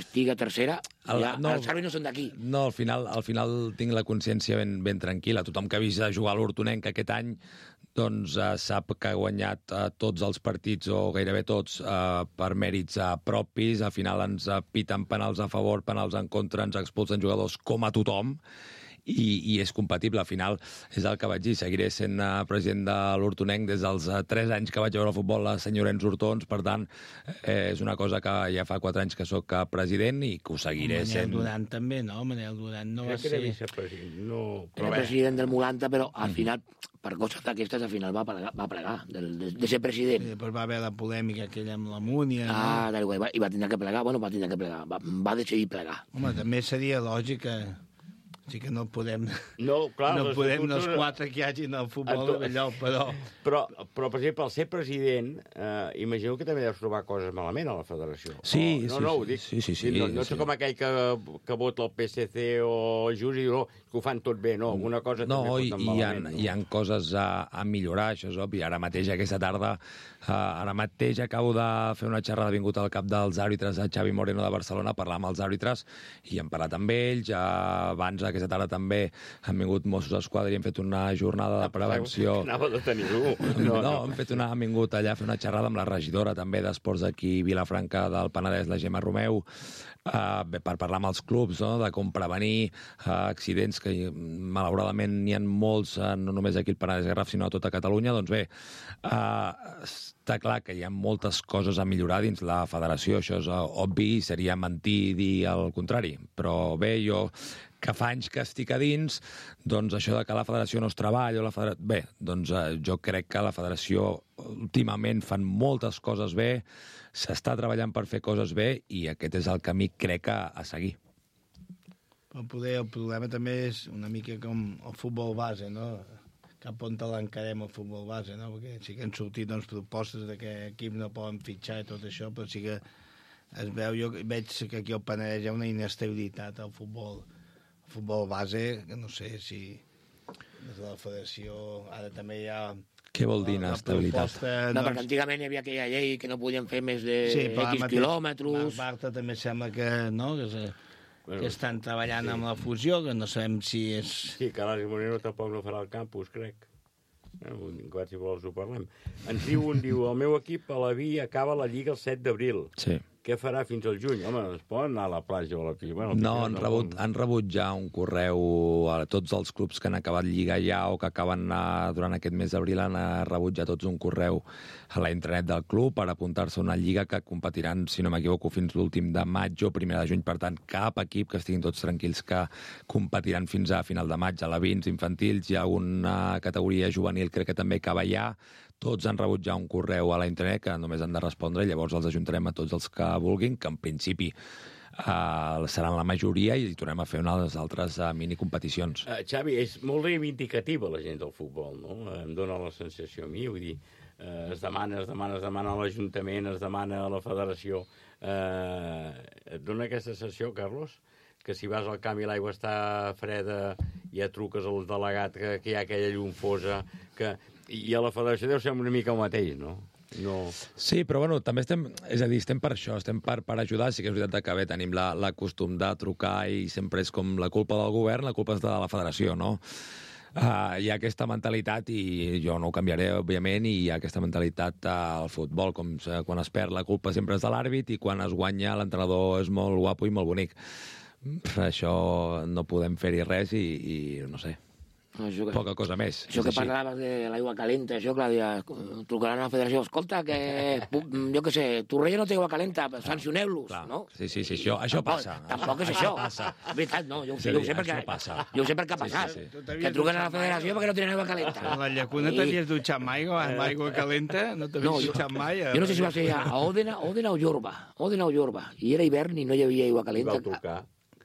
estigui a tercera, els àrbits no són d'aquí. No, al final tinc la consciència ben tranquil·la. Tothom que ha vist jugar a l'Hortonenc aquest any doncs sap que ha guanyat tots els partits, o gairebé tots, per mèrits propis. Al final ens piten penals a favor, penals en contra, ens expulsen jugadors com a tothom, i és compatible. Al final, és el que vaig dir, seguiré sent president de l'Hortonenc des dels 3 anys que vaig veure el futbol a Sant Llorenç Hortons, per tant, és una cosa que ja fa 4 anys que sóc president i que ho seguiré sent. Manel Duran també, no? Manel Duran no va ser... Crec que era vicepresident, no... Era president del 90, però al final, per coses d'aquestes, al final va plegar de ser president. Sí, després va haver la polèmica aquella amb la Múnia... I va tindre que plegar, va decidir plegar. Home, també seria lògic que... Sí que no podem... No, clar, no podem els 4 que hi hagin al futbol d'allò, però... Però, per exemple, al ser president, imagino que també deus trobar coses malament a la federació. Sí, ho dic. Sí. No sé com aquell que vota el PSC o el Just i diu, que ho fan tot bé, no? Alguna cosa també foten malament. Hi ha coses a millorar, això és obvi. Ara mateix, aquesta tarda, acabo de fer una xerrada, vingut al cap dels àrbitres a Xavi Moreno de Barcelona, a parlar amb els àrbitres, i hem parlat amb ells. Abans, aquesta tarda també han vingut Mossos d'Esquadra i hem fet una jornada de prevenció. Anava de tenir-ho. Han vingut allà a fer una xerrada amb la regidora també d'esports aquí a Vilafranca del Penedès, la Gemma Romeu, per parlar amb els clubs, no?, de com prevenir accidents, que malauradament n'hi ha molts, no només aquí al Penedès Garraf, sinó a tota Catalunya. Doncs bé, està clar que hi ha moltes coses a millorar dins la federació, això és obvi, seria mentir dir el contrari. Però bé, jo, que fa anys que estic a dins, doncs això de que la federació no es treballa... Bé, doncs jo crec que la federació últimament fan moltes coses bé, s'està treballant per fer coses bé i aquest és el camí, crec, a seguir. Però poder el problema també és una mica com el futbol base, no? Cap on te l'encarem el futbol base, no? Perquè sí que han sortit propostes de que equips no poden fitxar i tot això, però sí que es veu, jo veig que aquí al Penedès hi ha una inestabilitat al futbol base, que no sé si des de la federació ara també hi ha... Què vol dir inestabilitat? No, perquè antigament hi havia aquella llei que no podien fer més de X quilòmetres... Marta també sembla que, no?, que estan treballant amb la fusió, que no sabem si és... Sí, que l'Àlex Moreno tampoc no farà el campus, crec. Si vols ho parlem. Ens diu el meu equip a la Vi acaba la Lliga el 7 d'abril. Sí. Què farà fins al juny? Home, es poden anar a la platja o a la piscina? No, han rebut ja un correu a tots els clubs que han acabat Lliga ja o que acaben durant aquest mes d'abril, han rebut ja tots un correu a la intranet del club per apuntar-se a una lliga que competiran, si no m'equivoco, fins l'últim de maig o primer de juny. Per tant, cap equip, que estiguin tots tranquils, que competiran fins a final de maig. A la Vins infantils hi ha una categoria juvenil, crec que també acaba ja. Tots han rebut ja un correu a la internet que només han de respondre i llavors els ajuntarem a tots els que vulguin, que en principi seran la majoria i tornem a fer unes altres minicompeticions. Xavi, és molt reivindicativa la gent del futbol, no? Em dóna la sensació a mi, vull dir, es demana a l'Ajuntament, es demana a la Federació. Et dona aquesta sensació, Carlos? Que si vas al camp i l'aigua està freda, ja truques al delegat que hi ha aquella llum fosa, i a la federació deu ser una mica el mateix, no? Sí, però bueno, també estem per això, estem per ajudar. Sí que és veritat que bé, tenim la costum de trucar i sempre és com la culpa del govern, la culpa és de la federació, no? Hi ha aquesta mentalitat i jo no ho canviaré, òbviament, i hi ha aquesta mentalitat al futbol, com quan es perd la culpa sempre és de l'àrbit i quan es guanya l'entrenador és molt guapo i molt bonic. Això no podem fer-hi res i no sé, poca cosa més. Això que parlaves de l'aigua calenta, això, Clàudia, trucaran a la federació, escolta, que, jo què sé, Torrella no té aigua calenta, sancioneu-los, no? Sí, això passa. Tampoc és això. És veritat, no, jo ho sé perquè ha passat. Que truquen a la federació perquè no tenen aigua calenta. A la llacuna t'havies dutxat mai amb aigua calenta? No t'havies dutxat mai? Jo no sé si va ser a Òdena o Jorba, i era hivern i no hi havia aigua calenta. I va trucar.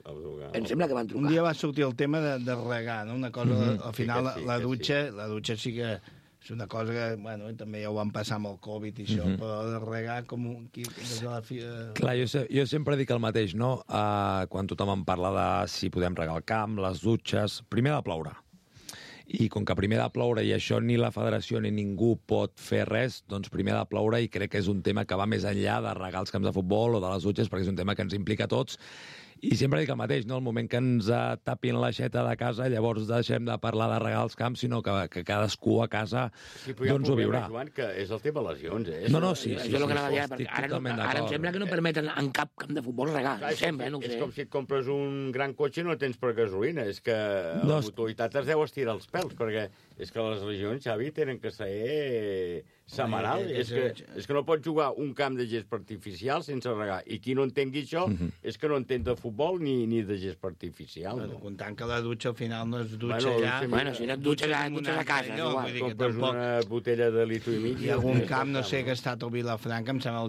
Em sembla que van trucar. Un dia va sortir el tema de regar, no? Una cosa, al final, la dutxa sí que és una cosa que, bueno, també ja ho van passar amb el Covid i això, però de regar com Clar, jo sempre dic el mateix, no? Quan tothom em parla de si podem regar el camp, les dutxes, primer ha de ploure. I com que primer ha de ploure i això ni la federació ni ningú pot fer res, doncs primer ha de ploure i crec que és un tema que va més enllà de regar els camps de futbol o de les dutxes, perquè és un tema que ens implica a tots I sempre dic el mateix, no? El moment que ens tapin l'aixeta de casa, llavors deixem de parlar de regar els camps, sinó que cadascú a casa doncs ho viurà. Joan, que és el tema lesions, eh? No, sí. Això és el que anava a dir, perquè ara em sembla que no permeten en cap camp de futbol regar. Sempre, no ho sé. És com si et compres un gran cotxe i no tens per gasolina. És que la mutualitat es deu estirar els pèls, perquè és que les lesions, Xavi, tenen que ser setmanal. És que no pots jugar un camp de gespa artificial sense regar. I qui no entengui això és que no entén de futbol ni de gespa artificial. Comptant que la dutxa al final no es dutxa allà... Bueno, si no et dutxes a casa. Compres una botella de litro i mig... Hi ha algun camp, no sé, que ha estat al Vilafranca, em sembla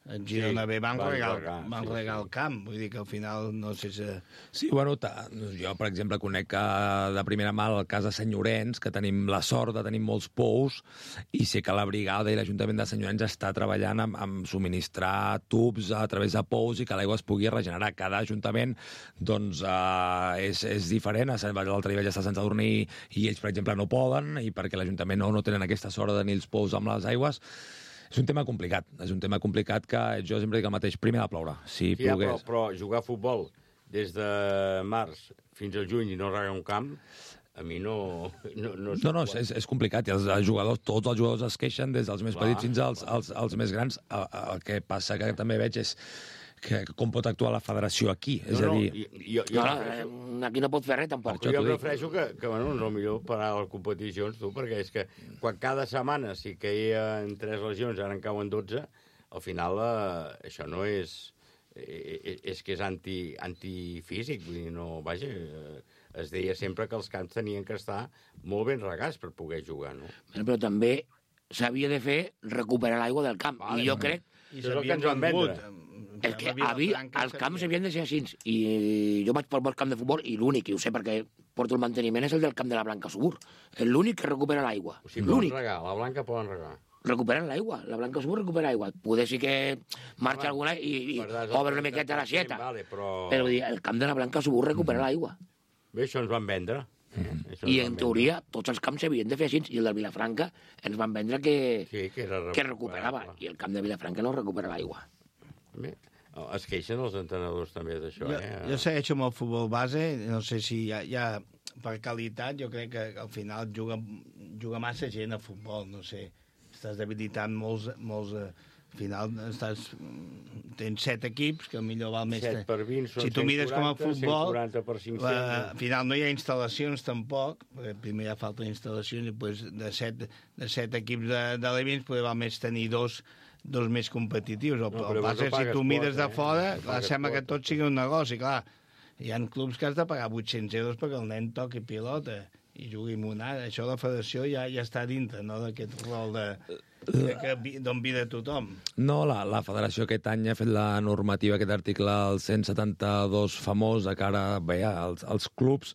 el Girona B, van regar el camp. Vull dir que al final no sé si... Sí, bueno, jo, per exemple, conec de primera mà el cas de Sant Llorenç, que tenim la sort de tenir molts pous, i sé que la brigada i l'Ajuntament de Sant Llorenç està treballant amb subministrar tubs a través de pous i que l'aigua es pugui regenerar. Cada ajuntament, doncs, és diferent. L'altre dia vaig estar a Sant Sadurní i ells, per exemple, no poden, i perquè l'Ajuntament no tenen aquesta sort de tenir els pous amb les aigües. És un tema complicat que jo sempre dic el mateix, primer ha de ploure. Si plogués... Però jugar a futbol des de març fins al juny i no regar un camp, a mi no... No, és complicat. I els jugadors, tots els jugadors es queixen, des dels més petits fins als més grans. El que passa que també veig és que com pot actuar la federació aquí. És a dir... Aquí no pot fer res, tampoc. Jo prefereixo que bueno, no millor parar les competicions, tu, perquè és que quan cada setmana si caien 3 lesions, ara en cauen 12, al final això no és... És que és antifísic, vull dir, no... Vaja, es deia sempre que els camps tenien que estar molt ben regats per poder jugar, no? Però també s'havia de fer recuperar l'aigua del camp, i jo crec... I és el que ens van vendre. És que els camps havien de ser així, i jo vaig pel camp de futbol, i l'únic, i ho sé perquè porto el manteniment, és el del camp de la Blanca Subur. És l'únic que recupera l'aigua. O sigui, poden regar, la Blanca poden regar. Recuperen l'aigua, la Blanca Subur recupera aigua. Poder sí que marxa alguna i obre una miqueta l'aixeta. Però el camp de la Blanca Subur recupera l'aigua. Bé, això ens van vendre. I en teoria tots els camps s'havien de fer així, i el del Vilafranca ens van vendre que recuperava, i el camp de Vilafranca no recupera l'aigua. Bé, es queixen els entrenadors també d'això, Jo segueixo amb el futbol base, no sé si hi ha per qualitat, jo crec que al final juga massa gent a futbol, no sé, estàs debilitant molts al final tens 7 equips, que millor val més... 7 per 20 són 140, si tu mires com a futbol, 140 per 500... Al final no hi ha instal·lacions tampoc, perquè primer ja falten instal·lacions, i pues, de 7 equips de l'Evins potser val més tenir dos més competitius. El passa, si tu mires de fora, sembla que tot sigui un negoci, clar. Hi ha clubs que has de pagar 800 euros perquè el nen toqui pilota i jugui monada. Això la federació ja està dintre, no?, d'aquest rol d'on ve de tothom. No, la federació aquest any ha fet la normativa, aquest article, el 172 famós, de cara als clubs,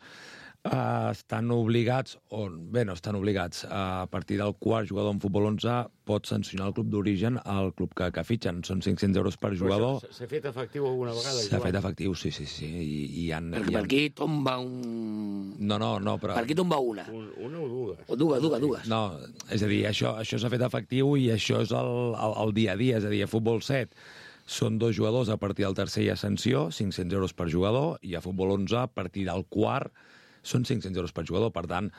estan obligats, no estan obligats, a partir del quart jugador en futbol 11 pot sancionar el club d'origen al club que fitxen. Són 500 euros per jugador. S'ha fet efectiu alguna vegada? S'ha fet efectiu, sí. Per aquí tomba un... No, però... Per aquí tomba una. Una o dues? O dues. No, és a dir, això s'ha fet efectiu i això és el dia a dia, és a dir, a futbol 7 són 2 jugadors, a partir del tercer hi ha sanció, 500 euros per jugador, i a futbol 11, a partir del quart, són 500 euros per jugador. Per tant,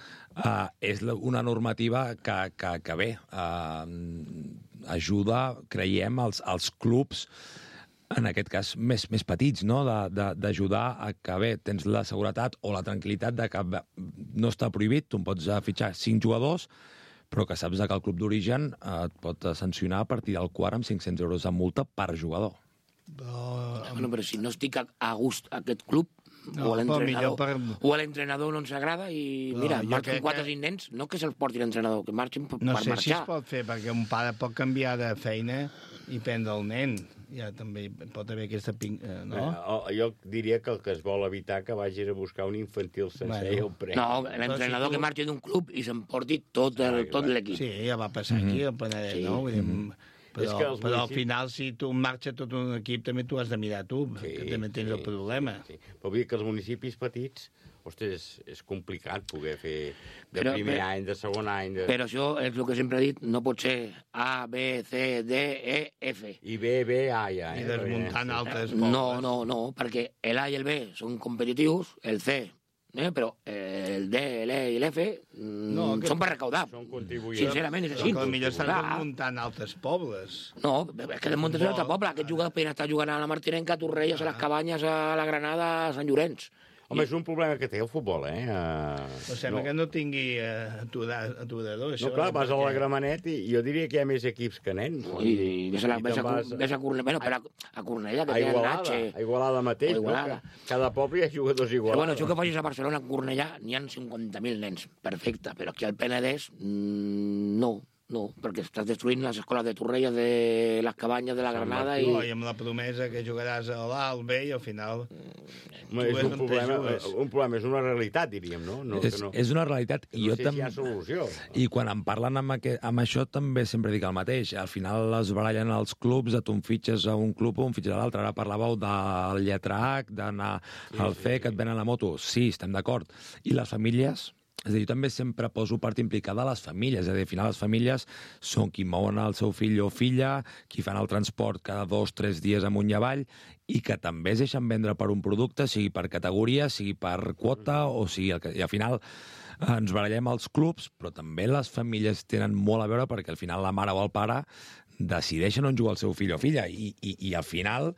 és una normativa que bé, ajuda, creiem, als clubs, en aquest cas més petits, no?, d'ajudar a que, bé, tens la seguretat o la tranquil·litat de que no està prohibit, tu pots fitxar 5 jugadors, però que saps que el club d'origen et pot sancionar a partir del quart amb 500 euros de multa per jugador. Però si no estic a gust a aquest club, o a l'entrenador no ens agrada i mira, marxen 4 o 5 nens, no que se'ls porti l'entrenador, que marxin per marxar. No sé si es pot fer, perquè un pare pot canviar de feina i prendre el nen. Ja també pot haver aquesta... no? Jo diria que el que es vol evitar que vagis a buscar un infantil sencer i el pren. No, l'entrenador que marxi d'un club i s'emporti tot l'equip. Sí, ja va passar aquí, al Penedès, no? Vull dir, però al final, si tu marxa tot un equip, també tu has de mirar tu, que també tens el problema. Però vull dir que els municipis petits ostres, és complicat poder fer de primer any, de segon any... Però això és el que sempre he dit, no pot ser A, B, C, D, E, F. I B, B, A, ja. I desmuntant altres pobles. No, perquè el A i el B són competitius, el C... però el D, l'E i l'F són per recaudar. Són contribuents. Sincerament, és així. Però potser estan desmuntant altres pobles. No, és que desmunten un altre poble. Aquest jugador podria estar jugant a la Martinenca, a Torrelles, a les Cabanyes, a la Granada, a Sant Llorenç. Home, és un problema que té el futbol, Però sembla que no tingui aturador. No, clar, vas a la Gramenet i jo diria que hi ha més equips que nens. I ves a Cornellà, bueno, però a Cornellà, que té el Natxe. A Igualada mateix, no? Cada poble hi ha jugadors iguals. Bueno, això que facis a Barcelona, a Cornellà, n'hi ha 50.000 nens, perfecte, però aquí al Penedès, no, perquè estàs destruint les escoles de Torrelles, de les Cabanyes, de la Granada... I amb la promesa que jugaràs a l'A, al B, i al final... És un problema, és una realitat, diríem, no? És una realitat. I no sé si hi ha solució. I quan em parlen amb això també sempre dic el mateix. Al final es barallen els clubs, tu em fitxes a un club o em fitxes a l'altre. Ara parlàveu del lletra H, d'anar al C, que et venen la moto. Sí, estem d'acord. I les famílies... És a dir, jo també sempre poso part implicada a les famílies. És a dir, al final les famílies són qui mouen el seu fill o filla, qui fan el transport cada 2 o 3 dies amunt i avall, i que també es deixen vendre per un producte, sigui per categoria, sigui per quota, o sigui... I al final ens barallem els clubs, però també les famílies tenen molt a veure perquè al final la mare o el pare decideixen on juga el seu fill o filla i al final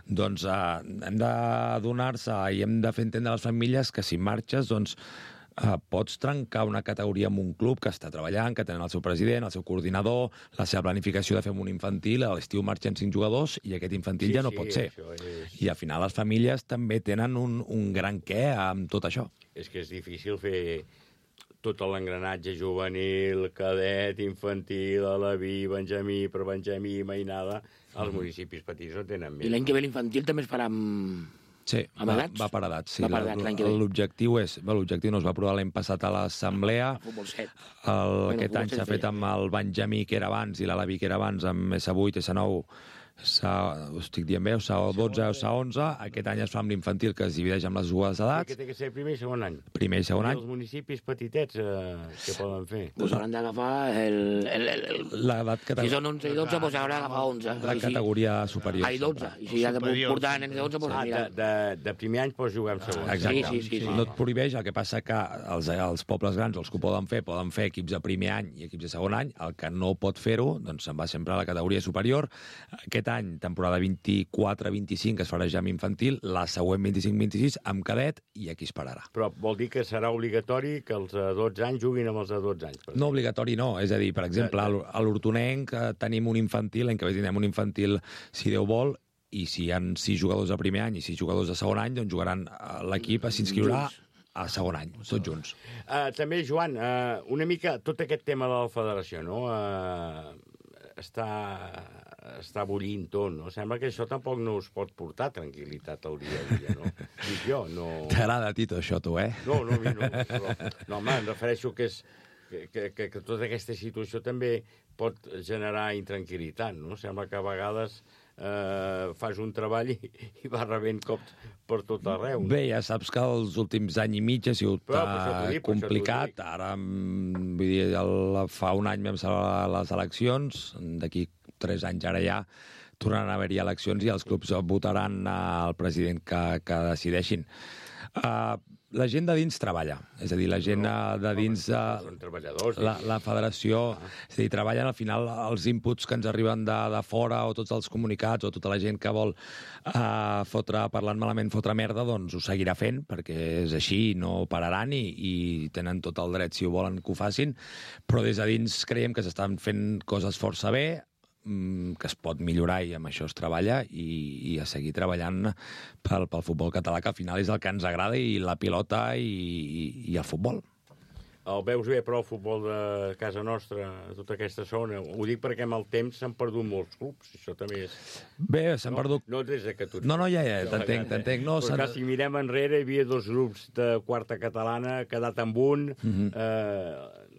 doncs hem d'adonar-se i hem de fer entendre a les famílies que si marxes doncs pots trencar una categoria amb un club que està treballant, que tenen el seu president, el seu coordinador, la seva planificació de fer un infantil, a l'estiu marxen 5 jugadors i aquest infantil ja no pot ser. I al final les famílies també tenen un gran què amb tot això. És que és difícil fer tot l'engranatge juvenil, cadet, infantil, alaví, benjamí, prebenjamí, mainada. Els municipis petits no tenen més. I l'any que ve l'infantil també es farà amb... Sí, va per edats. Sí. L'objectiu no es va aprovar l'any passat a l'Assemblea. Aquest any s'ha fet amb el Benjamí, que era abans, i l'Alaví, que era abans, amb S8, S9, ho estic dient bé, S12 o S11. Aquest any es fa amb l'infantil, que es divideix amb les dues edats. Que té que ser primer i segon any. Primer i segon any. I els municipis petitets, què poden fer? Doncs hauran d'agafar l'edat que... Si són 11 i 12, doncs hauran d'agafar 11. La categoria superior. Ai, 12. I si ha de portar nens de 11, doncs mira. De primer any pots jugar amb segon. Exacte. Sí. No et prohibeix, el que passa que els pobles grans, els que ho poden fer equips de primer any i equips de segon any. El que no pot fer-ho, doncs se'n va sempre a la categoria superior. Aquest any, temporada 24-25, es farà ja amb infantil, la següent 25-26 amb cadet, i aquí es pararà. Però vol dir que serà obligatori que els de 12 anys juguin amb els de 12 anys? No, obligatori no. És a dir, per exemple, a l'Hortonenc tenim un infantil, l'any que ve tindrem un infantil, si Déu vol, i si hi ha 6 jugadors de primer any i 6 jugadors de segon any, doncs jugaran l'equip, s'inscriurà a segon any, tots junts. També, Joan, una mica tot aquest tema de la federació, no? Està bullint tot, no? Sembla que això tampoc no us pot portar tranquil·litat al dia a dia, no? Dic jo, no... T'agrada a ti tot això, tu, No, a mi no. Però, no, home, em refereixo que tota aquesta situació també pot generar intranquil·litat, no? Sembla que a vegades fas un treball i va rebent cops per tot arreu. No? Bé, ja saps que els últims any i mig ha sigut complicat. Ara, vull dir, fa un any vam celebrar les eleccions, d'aquí 3 anys ara ja tornaran a haver-hi eleccions i els clubs votaran el president que decideixin. La gent de dins treballa, és a dir, la gent de dins... Són treballadors. La federació, és a dir, treballen al final els inputs que ens arriben de fora o tots els comunicats o tota la gent que vol parlant malament, fotre merda, doncs ho seguirà fent, perquè és així, no pararan i tenen tot el dret, si ho volen, que ho facin, però des de dins creiem que s'estan fent coses força bé, que es pot millorar i amb això es treballa i a seguir treballant pel futbol català, que al final és el que ens agrada, i la pilota i el futbol. El veus bé, però, el futbol de casa nostra, tota aquesta zona? Ho dic perquè amb el temps s'han perdut molts clubs, això també és... Bé, s'han perdut... No des de que tu... No, ja, t'entenc. No, però si mirem enrere, hi havia 2 grups de quarta catalana, quedat amb un...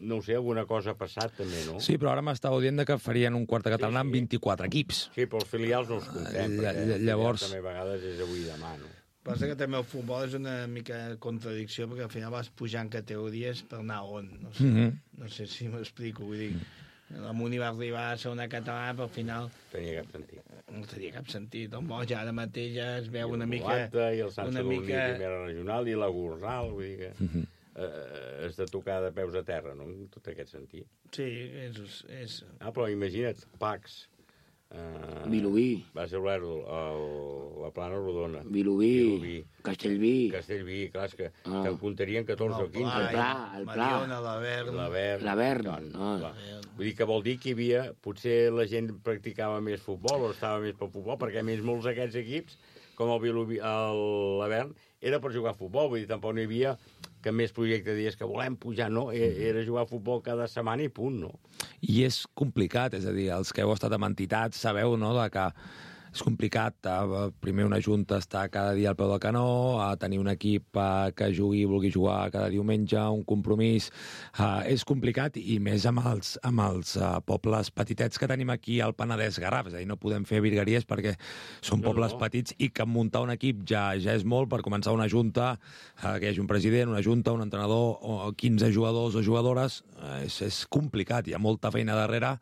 No ho sé, alguna cosa ha passat també, no? Sí, però ara m'estava dient que farien un quarta catalana amb 24 equips. Sí, però els filials no els comptem, perquè llavors... també a vegades és avui i demà, no? Passa que també el futbol és una mica contradicció, perquè al final vas pujant categories per anar on. No sé si m'explico, vull dir, la Muni va arribar a ser una catalana, però al final... Tenia cap sentit. No tenia cap sentit. El Moix ara mateix ja es veu una mica... I el Sant Sadurní, primera regional, i la Gornal, vull dir que... és de tocar de peus a terra, no?, en tot aquest sentit. Sí, és... Però imagina't, Pacs... Vilobí. Va ser la Plana Rodona. Vilobí. Castellví. Clar, és que te'n comptarien 14 o 15. El Pla. Mariona, l'Avern. Vull dir que vol dir que hi havia... Potser la gent practicava més futbol o estava més per futbol, perquè a més molts d'aquests equips, com el Vilobí, l'Avern, era per jugar a futbol. Vull dir, tampoc no hi havia que més projecte dies que volem pujar, no? Era jugar a futbol cada setmana i punt, no? I és complicat, és a dir, els que heu estat amb entitats sabeu, no?, que és complicat. Primer una junta està cada dia al peu del canó, tenir un equip que vulgui jugar cada diumenge, un compromís. És complicat, i més amb els pobles petitets que tenim aquí al Penedès Garraf. És a dir, no podem fer virgueries perquè són pobles petits, i que muntar un equip ja és molt. Per començar una junta, que hi hagi un president, una junta, un entrenador, o 15 jugadors o jugadores, és complicat, hi ha molta feina darrere.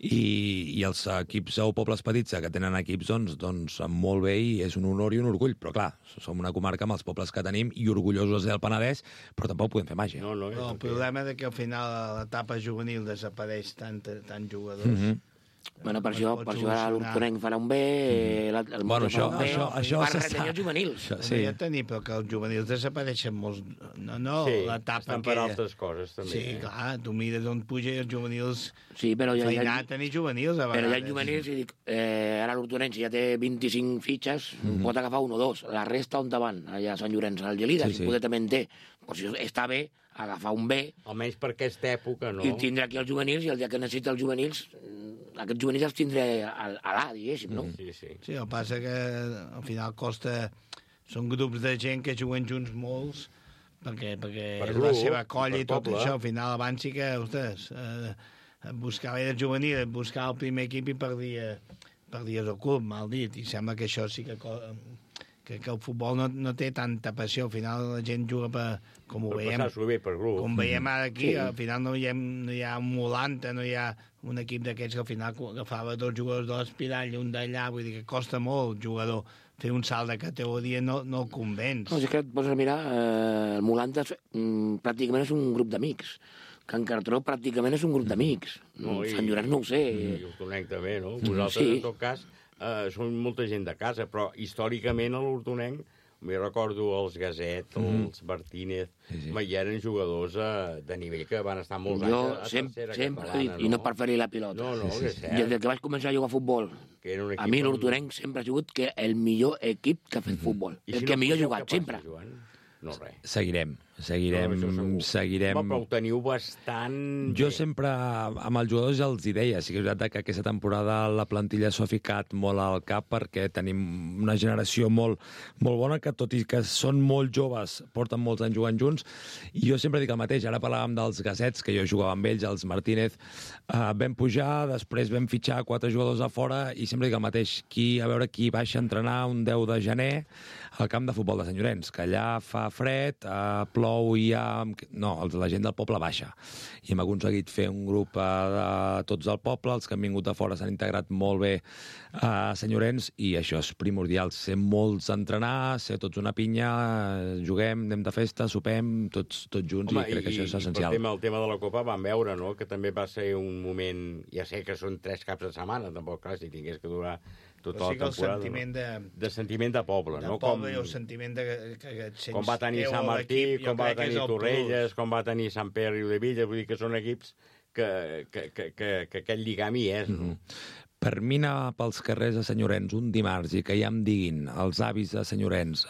I els equips o pobles petits que tenen equips, doncs molt bé, i és un honor i un orgull. Però clar, som una comarca amb els pobles que tenim i orgullosos del Penedès, però tampoc podem fer màgia. El problema és que al final a l'etapa juvenil desapareix tant jugadors. Bueno, per això ara l'Hortonenc farà un B, Bueno, això per retenir els juvenils. Ja tenir, però que els juvenils desapareixen molts... No, l'etapa estan per altres coses, també. Sí, clar, tu mires on puja i els juvenils... Sí, però ja... Feina a tenir juvenils, a vegades. Però hi ha juvenils, i dic, ara l'Hortonenc, si ja té 25 fitxes, pot agafar un o dos. La resta on van? Allà a Sant Llorenç, al Gelida, si poder també en té. Però si està bé, agafar un B... Almenys per aquesta època, no? I tindrà aquí els juvenils, i el dia que necessita els juvenils... Aquests juvenils els tindré a l'A, diguéssim, no? Sí, el que passa que al final costa... Són grups de gent que juguen junts molts, perquè és la seva colla i tot això. Al final, abans sí que, ostres, buscava el juvenil, buscava el primer equip i perdies el club, mal dit. I sembla que això sí que el futbol no té tanta passió. Al final la gent juga com ho veiem. Com veiem ara aquí, al final no hi ha un Molanta, no hi ha un equip d'aquests que al final agafava dos jugadors de l'Espirall i un d'allà, vull dir que costa molt jugador fer un salt de categoria, no el convenç. No, és que et poses a mirar, el Molanta pràcticament és un grup d'amics. Can Cartró pràcticament és un grup d'amics. Sant Llorenç no ho sé. I Hortonenc també, no? Vosaltres, en tot cas, són molta gent de casa, però històricament a l'Hortonenc, m'hi recordo els Gaset, els Martínez, hi eren jugadors de nivell que van estar molts anys a tercera catalana. I no per fer-hi la pilota. No, que és cert. Des que vaig començar a jugar a futbol, a mi l'Hortonenc sempre ha sigut el millor equip que ha fet futbol. El que millor ha jugat, sempre. No, res. Seguirem. Però ho teniu bastant bé. Jo sempre, amb els jugadors ja els hi deia, sí que és veritat que aquesta temporada la plantilla s'ha ficat molt al cap, perquè tenim una generació molt bona, que tot i que són molt joves, porten molts anys jugant junts, i jo sempre dic el mateix. Ara parlàvem dels Gasets, que jo jugava amb ells, els Martínez, vam pujar, després vam fitxar 4 jugadors a fora, i sempre dic el mateix, a veure qui baixa a entrenar un 10 de gener al camp de futbol de Sant Llorenç, que allà fa fred, plou i no, la gent del poble baixa. I hem aconseguit fer un grup de tots del poble, els que han vingut de fora s'han integrat molt bé a Sant Llorenç, i això és primordial, ser molts a entrenar, ser tots una pinya, juguem, anem de festa, sopem, tots junts. Home, i crec que això és essencial. El tema de la Copa vam veure, no?, que també va ser un moment, ja sé que són 3 caps de setmana, tampoc, clar, si tingués que durar tota la temporada. De sentiment de poble, no? De poble i el sentiment que et sents... Com va tenir Sant Martí, com va tenir Torrelles, com va tenir Sant Pere i Riudebitlles, vull dir que són equips que aquest lligam hi és, no? Per mi anar pels carrers de Sant Llorenç un dimarts i que ja em diguin els avis de Sant Llorenç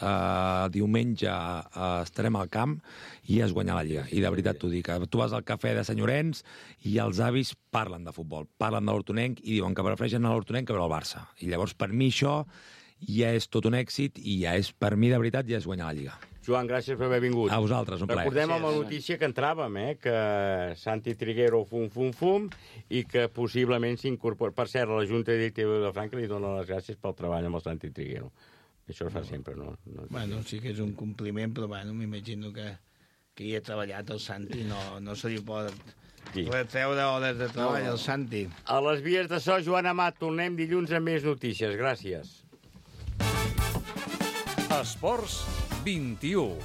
diumenge estarem al camp, i has guanyat la Lliga. I de veritat t'ho dic, tu vas al cafè de Sant Llorenç i els avis parlen de futbol, parlen de l'Hortonenc i diuen que prefereixen l'Hortonenc que veure el Barça. I llavors per mi això ja és tot un èxit, i ja és, per mi de veritat, ja és guanyar la Lliga. Joan, gràcies per haver vingut. A vosaltres, un plaer. Recordem amb la notícia que entràvem, que Santi Triguero fum, i que possiblement s'incorpora. Per cert, la Junta Directiva de Vilafranca li dona les gràcies pel treball amb el Santi Triguero, Això es fa sempre, no? Bueno, sí que és un compliment, però bueno, m'imagino que hi ha treballat el Santi, no se li pot retreure hores de treball al Santi. A les vies de so, Joan Amat, tornem dilluns amb més notícies. Gràcies. Esports 21.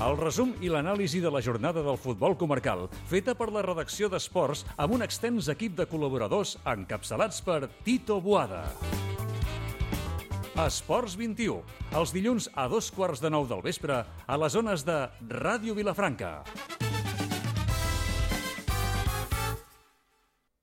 El resum i l'anàlisi de la jornada del futbol comarcal, feta per la redacció d'Esports amb un extens equip de col·laboradors encapçalats per Tito Boada. Esports 21, els dilluns a 2:15 del vespre a les ones de Ràdio Vilafranca.